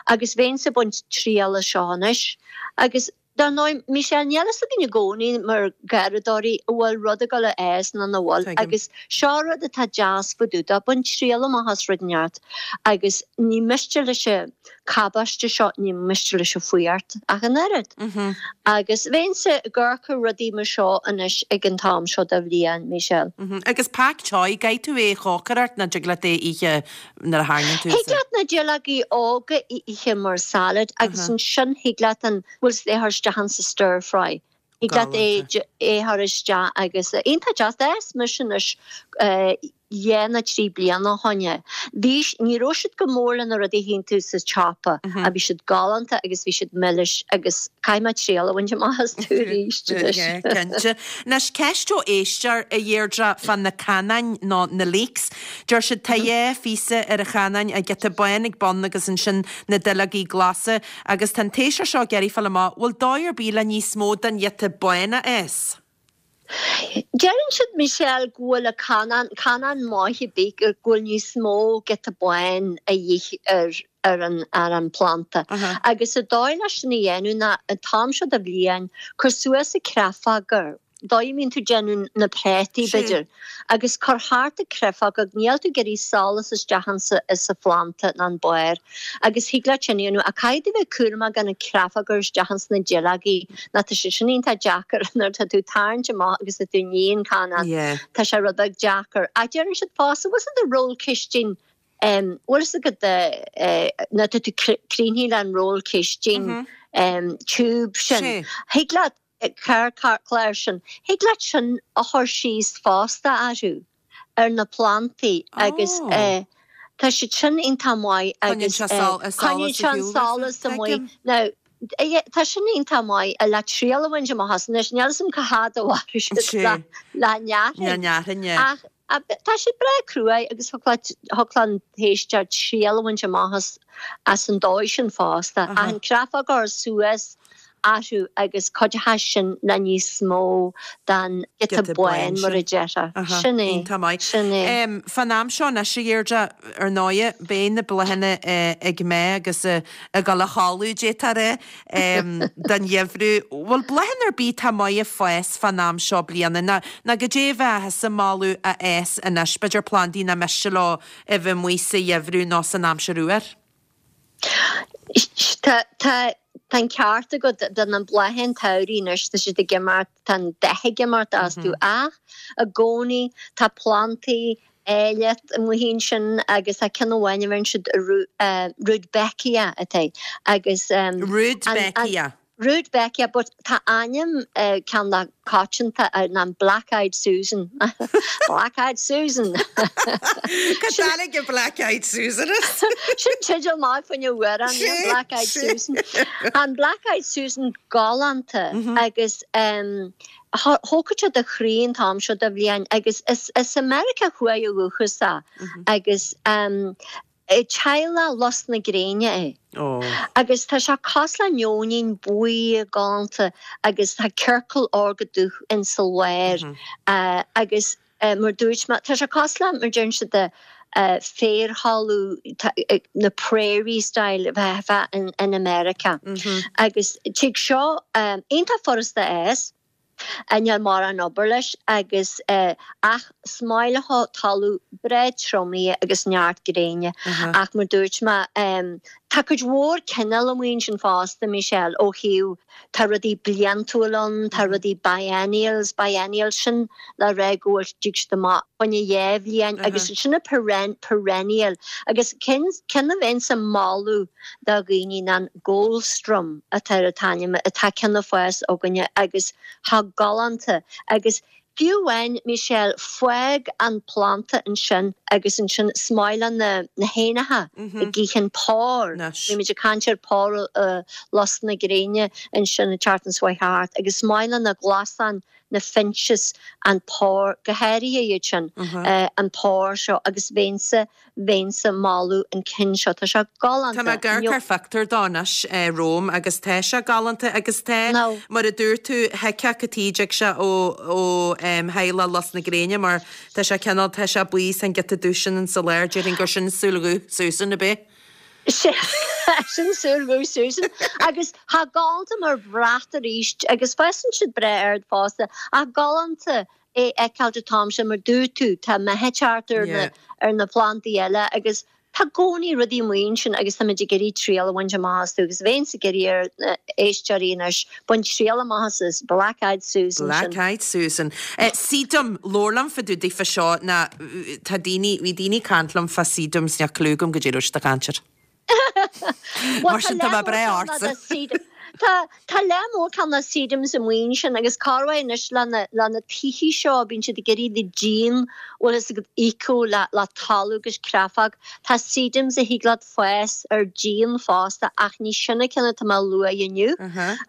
Agus bheinnse ag baint triail as seo anois. Agus dar ndóigh, Michelle, níl fhios againn i gcónaí mar gharradóirí an bhfuil rud ag dul a fhás nó nach bhfuil. Agus seo rud atá deas fá dtaobh de, bain triail amach as rud inteacht agus ní miste leis an cabáiste seo, ní miste leis an fuacht ach an oiread. Agus bheinnse ag amharc ar rudaí mar seo anois ag an t-am seo de bhliain, Michelle. Agus pak choi, gcaithfidh tú é a chócaireacht nó dtig leat é a ithe nuair a tharraingíonn tú Thig leat na duilleogaí óga a ithe mar salad agus ansin thig leat an bhfuil é a chur isteach insa stir fry. Thig leat é a chur isteach agus iontach deas. D'fhás mise anois dhá nó trí bliana ó shoin é. Bhí, ní raibh siad go mór le na rudaí a tchíonn tú sa tsiopa ach bhí siad galánta agus bhí siad milis agus caithfidh mé triail a bhaint amach astu arís anois. Cinnte. Anois ceist ó éisteoir, a Dheirdre, fá na canáin nó na leeks. Deir siad tá dhá phíosa ar an chanán, an giota bán ag bun agus ansin na duilleogaí glasa, agus tá an t-éisteoir seo ag iarraidh fáil amach, bhfuil dóigh ar bith le níos mó den ghiota bán a fhás? Deireann siad, Michelle, go bhfuil an canán, canán maith ar bith, go bhfuil níos mó giota bán a dhíth ar ar an ar an phlanda. Agus an dóigh leis sin a dhéanamh ná an t-am seo de bhliain, cuir suas an créafóg dóigh a mbíonn tú ag déanamh na préataí, b'fhéidir, agus cuir thart an créafóg, níl tú ag iarraidh solas isteach insa insa phlanda ná an barr, agus thig leat sin a dhéanamh, ach caithfidh tú bheith cúramach gan an créafóg a chur isteach ins na duilleogaí, nó tá sé sin iontach deacair nuair atá tú ag tarraingt amach agus tá tú ag ní an canán, tá sé rud beag deacair. Ach deireann siad fosta, bhfuil fhios agat an roll cistine, bhfuil fhios agat nuair atá tú críochnaithe le an roll cistine, tube sin, thig leat, carrchlár sin. Thig leat sin a chur síos fosta orthu, ar na plandaí agus tá siad sin iontach maith agus coinníonn sé an solas amuigh. Now, tá sin iontach maith le triail a bhaint amach as. Anois, níl 'fhios a'm cá fhad a mhairfidh siad le neachain ach tá siad breá cruaidh agus thiocfadh leis an t-éisteoir triail a bhaint amach as an dóigh sin fosta. Ach an créafóg a chur suas orthu agus cuideoidh sin le níos mó den giota bán mar a déarfá. Sin é. Iontach maith. Sin é. Fán am seo anois, a Dheirdre, ar ndóighe, beidh na bláthanna ag meath agus ag dul a chodladh, d'fhéadfá a rá, don gheimhreadh. Bhfuil bláthanna ar bith atá maith ag fás fán am seo bliana nó nó goidé a bheadh thusa ag moladh a fhás anois, b'fhéidir plandaí nach miste leo a bheith amuigh sa gheimhreadh nó san aimsir fhuar? Tá, tá, tá an ceart agat, tá na blátha an tsamhraidh anois, tá siad ag imeacht, tá an dath ag imeacht astu ach i gcónaí tá plantaí áille amuigh ansin agus tá ceann amháin a bheireann siad Rudbeckia atá agus an, an, Rudbeckia. Rudbeckia but tá ainm ceann dá coitianta ná an Black Eyed Susan. Black Eyed Susan! Cá dtáinig an Black Eyed Susan as? Sin teideal maith fá choinne amhrán, yeah, Black Eyed Susan. An Black Eyed Susan galánta agus thógfadh sé do chroí an t-am seo de bhliain agus is as Meiriceá Thuaidh ó dhúchas é agus Teaghlach lus na gréine é. Agus tá sé cosúil le neoinín buí galánta agus tá ciorcal órga dubh insa lár agus mar dúirt mé, tá sé cosúil le, mar deireann siad, de féarthalamh, na prairie style a bheifeá in America. Agus tig seo iontach furasta a fhás. Níl mórán obair leis agus ach is maith leo talamh breá triomaithe agus neart gréine. Ach mar dúirt mé, tá. Tá cuid mhór cineál amuigh ansin fosta, Michelle, ó thaobh, tá rudaí bliantúil ann, tá rudaí biennials, biennials sin le rá go bhfuil, dtig siad amach fá choinne dhá bhliain agus ansin na perennial agus ceann, ceann a bheinnse ag moladh do dhaoine ná an Goldsturm atá ar an t-ainm, atá ceann ag fás againne agus thá galánta agus Fiú amháin, Michelle, fág an planda ansin agus ansin is maith le na héanacha ag itheann pór. Bhí muid ag caint ar pór lus na gréine ansin an tseachtain seo chuaigh thart agus is maith le na glasáin, na finches, an pór, go háirithe iad sin, an pór seo agus bheinnse bheinnse ag moladh an cinn seo. Tá sé galánta. Tá mé ag amharc ar phictiúr dó anois romham agus tá sé galánta agus tá, mar a dúirt tú, thuigfeá cad chuige a dtig sé ó ó theaghlach lus na gréine mar tá sé cineál, tá sé buí is an giota dubh sin insa lár, déarfainn gur sin súil dhubh Susan, ab é? Sin súil dhubh Susan agus tá galánta mar bhrat arís agus fásann siad breá ard fosta ach galánta é a fheiceáil an t-am sin mar dúirt tú, tá meath ag teacht ar na ar na plandaí eile agus tá i gcónaí rudaí amuigh ansin agus táimid ag iarraidh triail a bhaint amach astu agus bheinnse ag iarraidh ar na éisteoirí anois bain triail amach as is Black Eyed Susan sin. Black Eyed Susan. Sedum, labhair liom fá dtaobh daofa seo ná tá daoine, bhí daoine ag caint liom fá sedums níl clue agam goidé a raibh siad ag caint air. Mar sin tá mé breá ortsa. Tá tá lear mór cineál sedums amuigh ansin agus corruair anois le na le na tithe seo bíonn siad ag iarraidh na díon bhfuil fhios agat íocadh le le talamh agus creafóg. Tá sedums a thig leat fás ar díon fosta ach ní sin an ceann atá mé a lua inniu.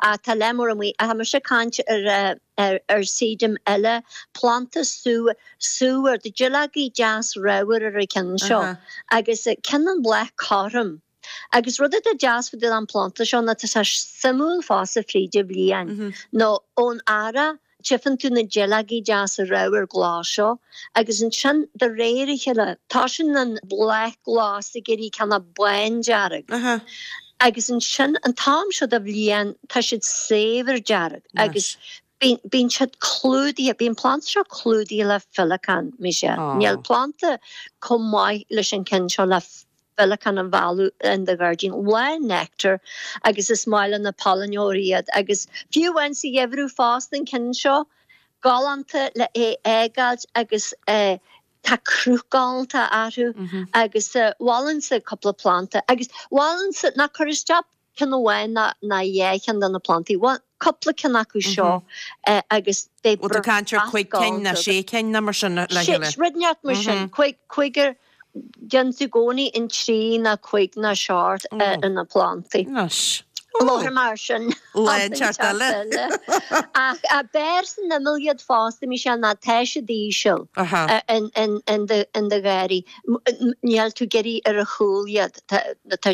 Ach tá lear mór amuigh. Tá mise ag caint ar ar ar sedum eile, planda sú Súmhar, tá duilleogaí deas ramhar ar an ceann seo agus ceann an bláth cothrom. Agus rud atá deas fá dtaobh den phlanda seo ná tá sé suimiúil fosta fríd an bhliain nó ón earrach tchifeann tú na duilleogaí deasa ramhar glas seo agus ansin de réir a chéile tosaíonn an bláth glas ag éirí cineál bándearg agus ansin an t-am seo de bhliain tá siad saibhir dearg agus Bíonn siad clúdaithe, bíonn planda seo clúdaithe le féileacáin, Michelle. Níl planda chomh maith leis an ceann seo le féileacáin a mhealladh in do ghairdín. Lán nectar agus is maith le na pailneoirí iad agus fiú amháin sa gheimhreadh fosta an ceann seo, galánta le é fhágáilt agus tá cruth galánta orthu agus mholfainnse cúpla planda agus mholfainnse ná cuir isteach ceann amháin ná dhá cheann de na plandaí. Bhuel, cúpla ceann acu seo agus beidh Bhfuil tú ag caint ar chuig cinn ná sé cinn ná mar sin le chéile? Rud inteacht mar sin. Cúigear, déanann tú i gcónaí an trí ná cuig ná seacht ar na plandaí. Anois. Láthair mar sin. Lá inteacht eile. Ach b'fhearr san imeall iad fosta, Michelle, ná tá siad íseal in do gharraí. Níl tú ag iarraidh ar a chúl iad,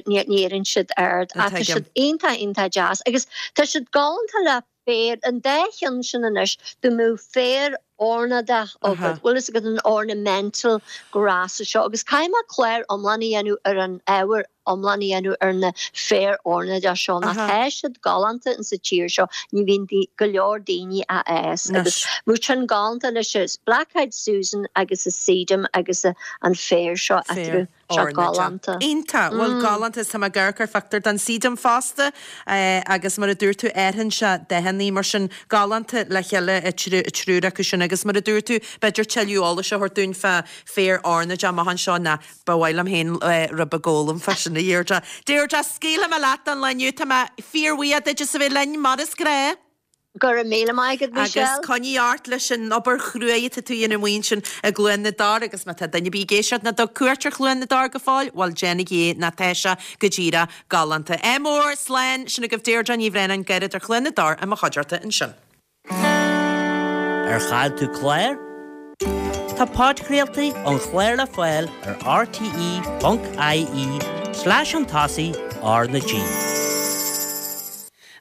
ní éiríonn siad ard ach tá siad iontach, iontach deas agus tá siad galánta le féar, an dá cheann sin anois, dá mbeadh féar ornáideach agat, bhfuil fhios agat an ornamental grass seo agus caithfidh mé clár iomlán a dhéanamh ar an ábhar iomlán a dhéanamh ar na féar ornáideach seo nó tá siad galánta in sa tír seo, ní bhíonn go leor daoine á fhás agus bheadh sin galánta leis an Black Eyed Susan agus an Sedum agus an féar seo eatarthu, seo galánta. Iontach, bhuel galánta is tá mé ag amharc ar phictiúr den Sedum fosta agus mar a dúirt tú athraíonn sé dathannaí mar sin galánta le chéile an triúr acu sin agus mar a dúirt tú b'fhéidir tuilleadh eolais a thabhairt dúinn fá féar ornáideach amach anseo ná Ba mhaith liom féin rud beag a fhoghlaim fá sin, a Dheirdre. Deirdre, scaoilfidh mé leat don lá inniu. Tá mé fíorbhuíoch duit as a bheith linn, mar is gnáth. Go raibh míle maith agat, Michelle. Agus coinnigh ort leis an obair chruaidh atá tú a dhéanamh amuigh ansin i gCluain na dTor agus má tá duine ar bith ag éisteacht nach dtug cuairt ar Chluain na dTor go fóill, bhuel déanaigí é nó tá sé go díreach galánta. Ádh mór, slán, sin agaibh Deirdre Ní Bhraonáin, Garradóir Chluain na dTor i mo chuideachta ansin. Ar chaill tú clár? Tá podchraoltaí an chláir le fáil ar rte.ie slash chun tosaigh R na G.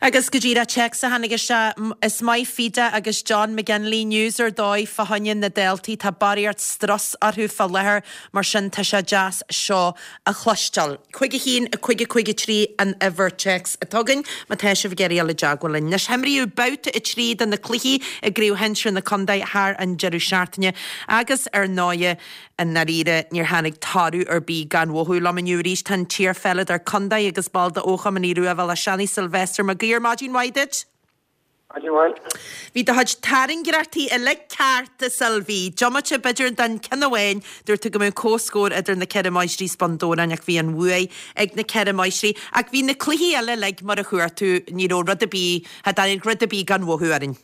Agus go díreach téacs a tháinig isteach, Is maith Fida agus John McGinley news ar dóigh fá choinne na daltaí, tá barraíocht strus orthu fá láthair, mar sin tá sé deas seo a chloisteáil. 5 1 5 5 3 an uimhir téacs atá againn má tá sibh ag iarraidh dul i dteagmháil linn. Anois, himríodh babhta 3 de na cluichí i gCraobh Shinsir na Contae thar an deireadh seachtaine agus ar ndóighe, I ndáiríre, níor tháinig toradh ar bith gan mhothú liom inniu arís. Tá an t-iarpheileadóir contae agus ball d'Fhochumann Aodh Rua Bhéal Átha Seanaidh, Sylvester Mac Uidhir. Maidin mhaith duit. Maidin mhaith. Bhí do chuid tairngreachtaí uilig ceart, a Sylvie. Diomaite, b'fhéidir, den ceann amháin, dúirt tú go mbeadh comhscór idir na Ceithre Máistrí is Bun Dobhráin ach bhí an bhuaidh ag na Ceithre Máistrí. Ach bhí na cluichí eile uilig mar a chuir tú, ní raibh rud ar bith, cha dtáinig rud ar bith gan mhothú orainn.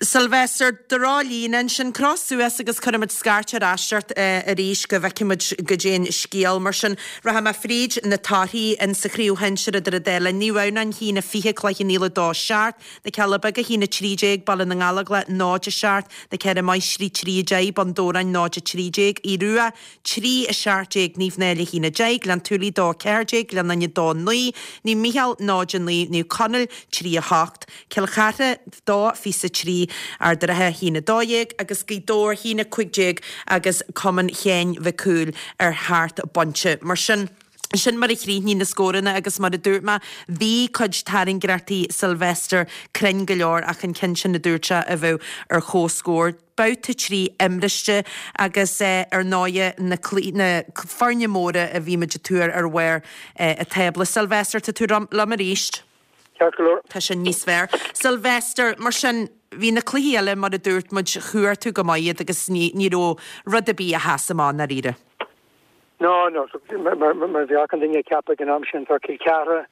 Sylvester, Droch-líne ansin, croch suas agus cuirfimid scairt ar ais ort arís go bhfeicfimid goidé an scéal. Mar sin, rachaidh mé fríd na torthaí in sa Chraobh Shinsir idir an dá linn. Naomh Adhamhnáin 1, 20, Cloich Cheann Fhaola 2, 7, Na Cealla Beaga 1, 13, Baile na nGallóglach 0, 7, Na Ceithre Máistrí 3, 10, Bun Dobhráin 0, 13, Aodh Rua 3, 17, Naomh Náille 1, 10, Gleann tSúilí 2, 14, Gleann Fhinne 2, 9, Naomh Mícheál 0, 9, Naomh Conaill 3, 8, Cill Chartha 2, 23, Ard an Rátha 1, 12 agus Gaoth Dobhair 1, 15 agus Cumann Sheáin Mhic Cumhaill ar sheacht bpointe. Mar sin, sin mar a chríochnaigh na scóranna agus mar a dúirt mé, bhí cuid tairngreachtaí Sylvester cruinn go leor ach an ceann sin a dúirt sé a bheadh ar comhscór. Babhta 3 imriste agus ar ndóighe na na foirne móra a bhí muid ag tuar ar bharr an tábla. Sylvester, tá tú liom arís? Ceart go leor. Tá sin níos fearr. Sylvester, mar sin, bhí na cluichí eile mar a dúirt muid, chuir tú go maith iad agus ní ní raibh rud ar bith a sheas amach i ndáiríre. No, no, mar a bheadh achan duine ag ceapadh ag an am sin, tá Cill Chartha,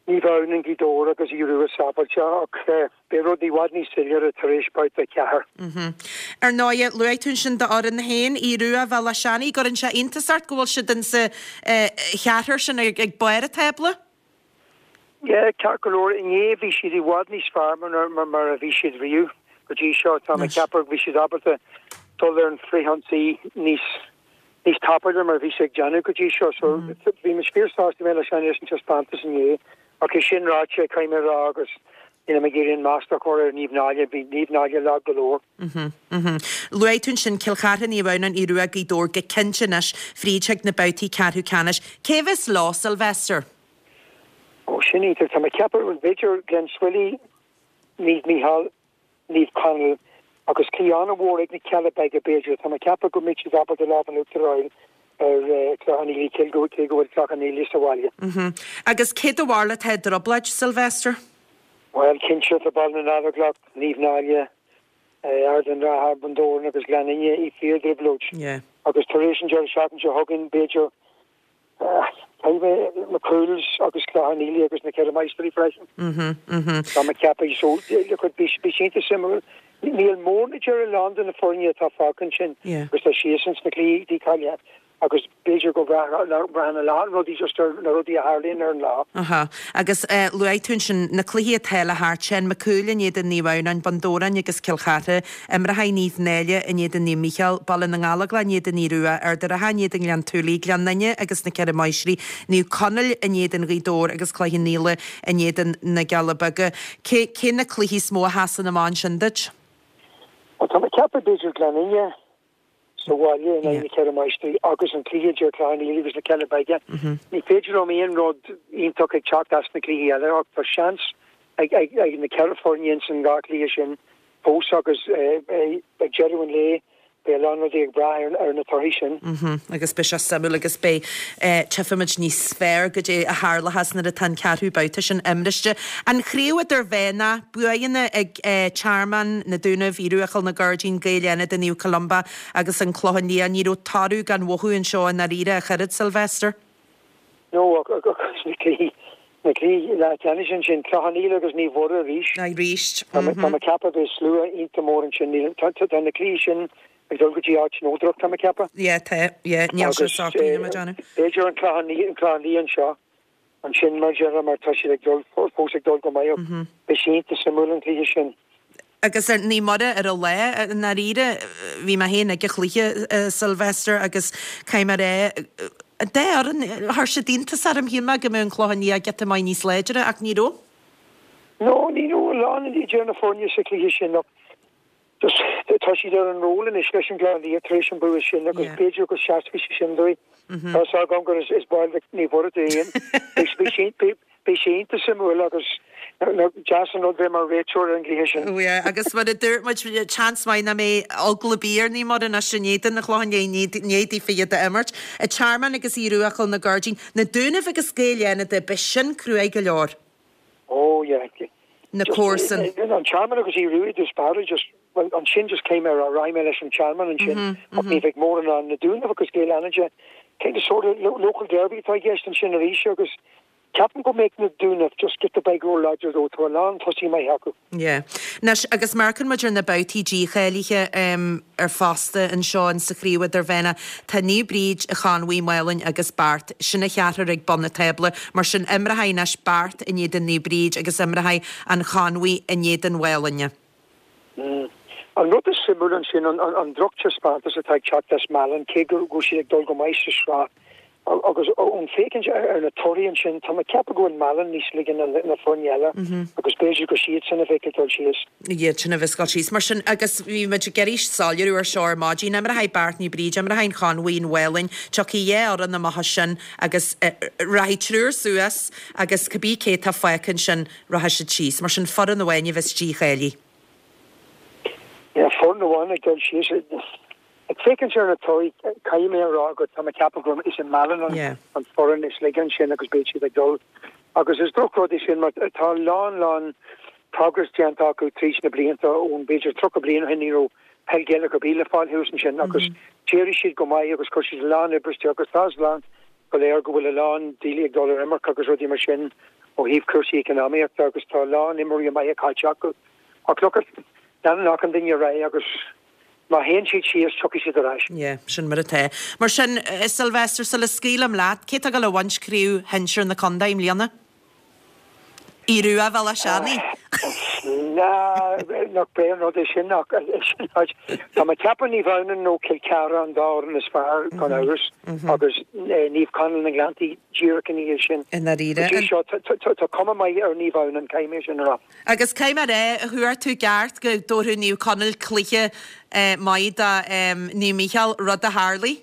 Naomh Adhamhnáin, Gaoth Dobhair agus Aodh Rua sábháilte ach beidh rudaí i bhfad níos soiléire tar éis babhta 4. Ar ndóighe, luaigh tú ansin d'fhoireann féin, Aodh Rua, Bhéal Átha Seanaidh, gcuireann sé iontas ort go bhfuil siad insa cheathrar sin ag barr an tábla? Yeah, ceart go leor, inné bhí siad i bhfad níos fearr mar a bhí siad riamh go dtí seo. Tá mé ag ceapadh bhí siad ábalta dul ar an frithionsaí níos níos tapúla mar a bhí siad ag déanamh go dtí seo. So bhí muid fíor sásta mé leis an taispeántas inné. Ach é sin ráite, caithfidh mé a rá agus nílim ag iarraidh an masla a chur ar Naomh Náille, bhí Naomh Náille lag go leor. Luaigh tú ansin Cill Chartha, Naomh Adhamhnáin, Aodh Rua, Gaoth Dobhair go cinnte anois fríd chuig na babhtaí ceathrú ceannais. Cé a bheas leo, Sylvester? Ó, sin iontach. Tá mé ag ceapadh, b'fhéidir Glenswilly, Naomh Mícheál, Naomh Conaill agus cluiche an-mhór ag na Cealla Beaga b'fhéidir. Tá mé ag ceapadh go mbeidh siad ábalta lámh in uachtar a fháil ar Cloich Cheann Fhaola cé go bhfuil Cloich Cheann Fhaola sa bhaile. Agus cé do bharúil atá i dtrioblóid, Sylvester? Bhuel, cinnte, tá Baile na nGallóglach, Naomh Náille, Ard an Rátha, Bun Dobhráin agus Gleann Fhinne i fíor-dtrioblóid. Agus tar éis an deireadh seachtaine seo chugainn, b'fhéidir, Caithfidh mé McCool's agus Cloich Cheann Fhaola agus na Ceithre Máistrí freisin. Tá mé ag ceapadh so look bhí sé iontach suimiúil. Níl mórán idir a lán de na foirne atá fágtha ansin agus tá siadsan sna cluichí dícháilithe agus b'fhéidir go mbraitheann a lán rudaí just ar na rudaí a tharlaíonn ar an lá. Aha. Agus luaigh tú ansin na cluichí atá le theacht, Seán Mac Cumhaill in éadan Naomh Adhamhnáin, Bun Dobhráin agus Cill Chartha, Imreoidh Naomh Náille in éadan Naomh Mícheál, Baile na nGallóglach in éadan Aodh Rua, Ard an Rátha in éadan Ghleann tSúilí, Gleann Fhinne agus na Ceithre Máistrí, Naomh Conaill in éadan Ghaoth Dobhair agus Cloich Cheann Fhaola in éadan na gCealla Beaga. Cé, cé na cluichí is mó a sheasann amach ansin duit? Bhuel, tá mé ag ceapadh b'fhéidir Gleann Fhinne sa bhaile in aghaidh na Ceithre Máistrí agus an cluiche idir Cloich Cheann Fhaola agus na Cealla Beaga. Ní féidir liom aon rud iontach ag teacht as na cluichí eile ach tá seans ag na ceithre foirne ins an dhá chluiche sin fós agus ag deireadh an lae beidh a lán rudaí ag brath ar na torthaí sin. Agus beidh sé suimiúil agus beidh, tchífimid níos fearr goidé a tharlóchas nuair atá an ceathrú babhta sin imriste. An chraobh idirmheánach, buanna ag Tearmann, Na Dúnaibh, Aodh Rua Chill na Gairdín, Gaeil Fhánada, Naomh Columba agus an Clochán Liath. Ní raibh toradh gan mhothú anseo i ndáiríre ach oiread, Sylvester. No, agus na cluichí, na cluichí leathcheannais ansin, Clochán Liath agus Naomh Mhuire arís. Arís. Tá mé ag ceapadh beidh slua iontach mór ansin. Níl, tá, tá na cluichí sin ag dul go dtí áit neodrach, tá mé ag ceapadh. Yeah, tá, yeah, níl sé socraithe, mar déanamh. B'fhéidir an Clochán Liath, an Clochán Liath anseo, ansin mar déarfá mar tá siad ag dul, fós ag dul go maith. Beidh sé iontach suimiúil an cluiche sin. Agus ar Naomh Muire ar a lá, i ndáiríre, bhí mé féin ag an chluiche, Sylvester, agus caithfidh mé a rá, an dá fhoireann, chuir siad iontas orm, shíl mé go mbeadh an Clochán Liath giota maith níos láidre ach ní raibh. No, ní raibh a lán idir na foirne sa chluiche sin ach just tá siad ar an roll anois leis an gClochán Liath tar éis an bua sin agus b'fhéidir go seasfaidh sé sin dóibh. Tá a fhios agam gur is ball de Naomh Muire tú féin. Beidh sé iontach suimiúil agus deas an rud bheith mar réiteoir ar an gcluiche sin. Oh yeah, agus mar a dúirt muid, seans maith nach mbeidh eagla ar bith ar Naomh Muire anois in éadan an Chlocháin Léith, i ndiaidh daofa iad a imirt. An Tearmann agus Aodh Rua Chill na Goirdín, Na Dúnaibh agus Gaeil Fhánada, beidh sin cruaidh go leor. Oh yeah. Na comharsain. An Tearmann agus Aodh Rua i dtús báire, just, bhuel ansin just caithfidh mé a rá, rachaidh mé leis an Tearmann ansin ach ní bheidh mórán ann. Na Dúnaibh agus Gaeil Fhánada, kind of sort of local derby atá i gceist ansin arís agus ceapaim go mbeidh na Dúnaibh just giota beag ró-láidir dóibh, tá a lán tosaí maithe acu. Yeah. Anois, agus má amharcann muid ar na babhtaí dícháilithe ar fosta anseo in sa Chraobh Idirmheánach, tá Naomh Bríd, an Chonmhaigh, Málainn agus Beart, sin an cheathrar ag bun na tábla. Mar sin, imreoidh anois Beart in éadan Naomh Bríd agus imreoidh an Chonmhaigh in éadan Mhálainne. An rud is suimiúil ansin, an drochtaispeántas atá ag teacht as Málainn, cé go bhfuil siad ag dul go maith sa sraith, agus ón féachaint ar na torthaí ansin, tá mé ag ceapadh go bhfuil Málainn níos laige ná na foirne eile agus b'fhéidir gur siadsan a bheidh ag dul síos. Iad sin a bheas ag dul síos. Mar sin, agus bhí muid ag iarraidh soiléiriú ar seo ar maidin, imreoidh Beart Naomh Bríd, imreoidh an Chonmhaigh an Mhálainn, tiocfaidh dhá fhoireann amach as sin agus rachaidh triúr suas agus cibé cé atá fágtha ansin, rachaidh siad síos. Mar sin, foireann amháin a bheas dícháilithe. Yeah, foireann amháin ag dul síos. Ag féachaint ar na torthaí, caithfidh mé a rá go tá mé ag ceapadh gur is é Málainn an foireann is laige ansin agus beidh siad ag dul. Agus is drochrud é sin mar tá a lán, lán progress déanta acu tríd na blianta ón b'fhéidir 30 bliain ó shin ní raibh peil Ghaelach ar bith le fáil thuas ansin agus d'éirigh siad go maith agus chuir siad a lán oibre isteach agus tá a fhios againn go léir go bhfuil a lán daoine ag dul ar imirce agus rudaí mar sin ó thaobh cúrsaí eacnamaíochta agus tá a lán imreoirí maithe caillte acu. Ach look at, leanann achan duine ar aghaidh agus má théann siad síos tiocfaidh siad ar ais. Yeah, sin mar atá. Mar sin, a Sylvester, sula scaoilim leat, cé atá ag dul a bhaint craobh shinsir na contae i mbliana? Aodh Rua Bhéal Átha Seanaidh. Nach breá an rud é sin ach tá mé ag ceapadh Naomh Adhamhnáin nó Cill Chartha an dá fhoireann is fearr gan amhras agus Naomh Conaill na nGleanntaí díreach ina dhiaidh sin. I ndáiríre. Go dtí seo tá cuma maith ar Naomh Adhamhnáin, caithfidh mé sin a rá. Agus caithfidh mé a rá, thuar tú i gceart go dtabharfadh Naomh Conaill cluiche maith do Naomh Mícheál, rud a tharlaigh.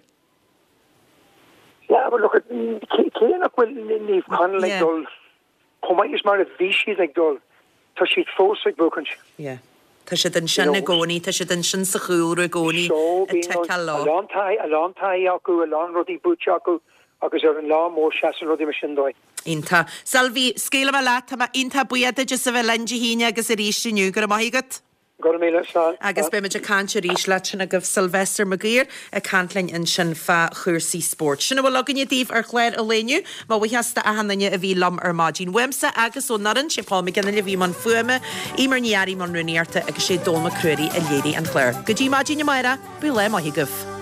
Yeah, but look, cé nach bhfuil Naomh Conaill ag dul chomh maith is mar a bhí siad ag dul, tá siad fós ag buachaint. Yeah. Tá siad ansin i gcónaí, tá siad ansin sa chúlra i gcónaí So, bíonn a lán taithí, a lán taithí acu, a lán rudaí buaite acu agus ar an lá mór seasann rudaí mar sin dóibh. Iontach. Sylvie, scaoilfidh mé leat, tá mé iontach buíoch duit as a bheith linn Dé hAoine agus arís inniu. Go raibh maith agat. Go raibh míle, slán. Agus beidh muid ag caint arís leat sin agaibh Sylvester Mac Uidhir ag caint linn ansin fá chúrsaí spóirt. Sin a bhfuil againne daoibh ar chlár an lae inniu. Mo bhuíochas d'achan duine a bhí liom ar maidin. Uaimse agus ón fhoireann, sé Paul McGinley a bhí i mbun fuaime, Eimear Ní Fhearraigh i mbun rúnaíochta agus sé Dónal Mac Ruairí a léirigh an clár. Go dtí maidin amárach, bíodh lá maith agaibh.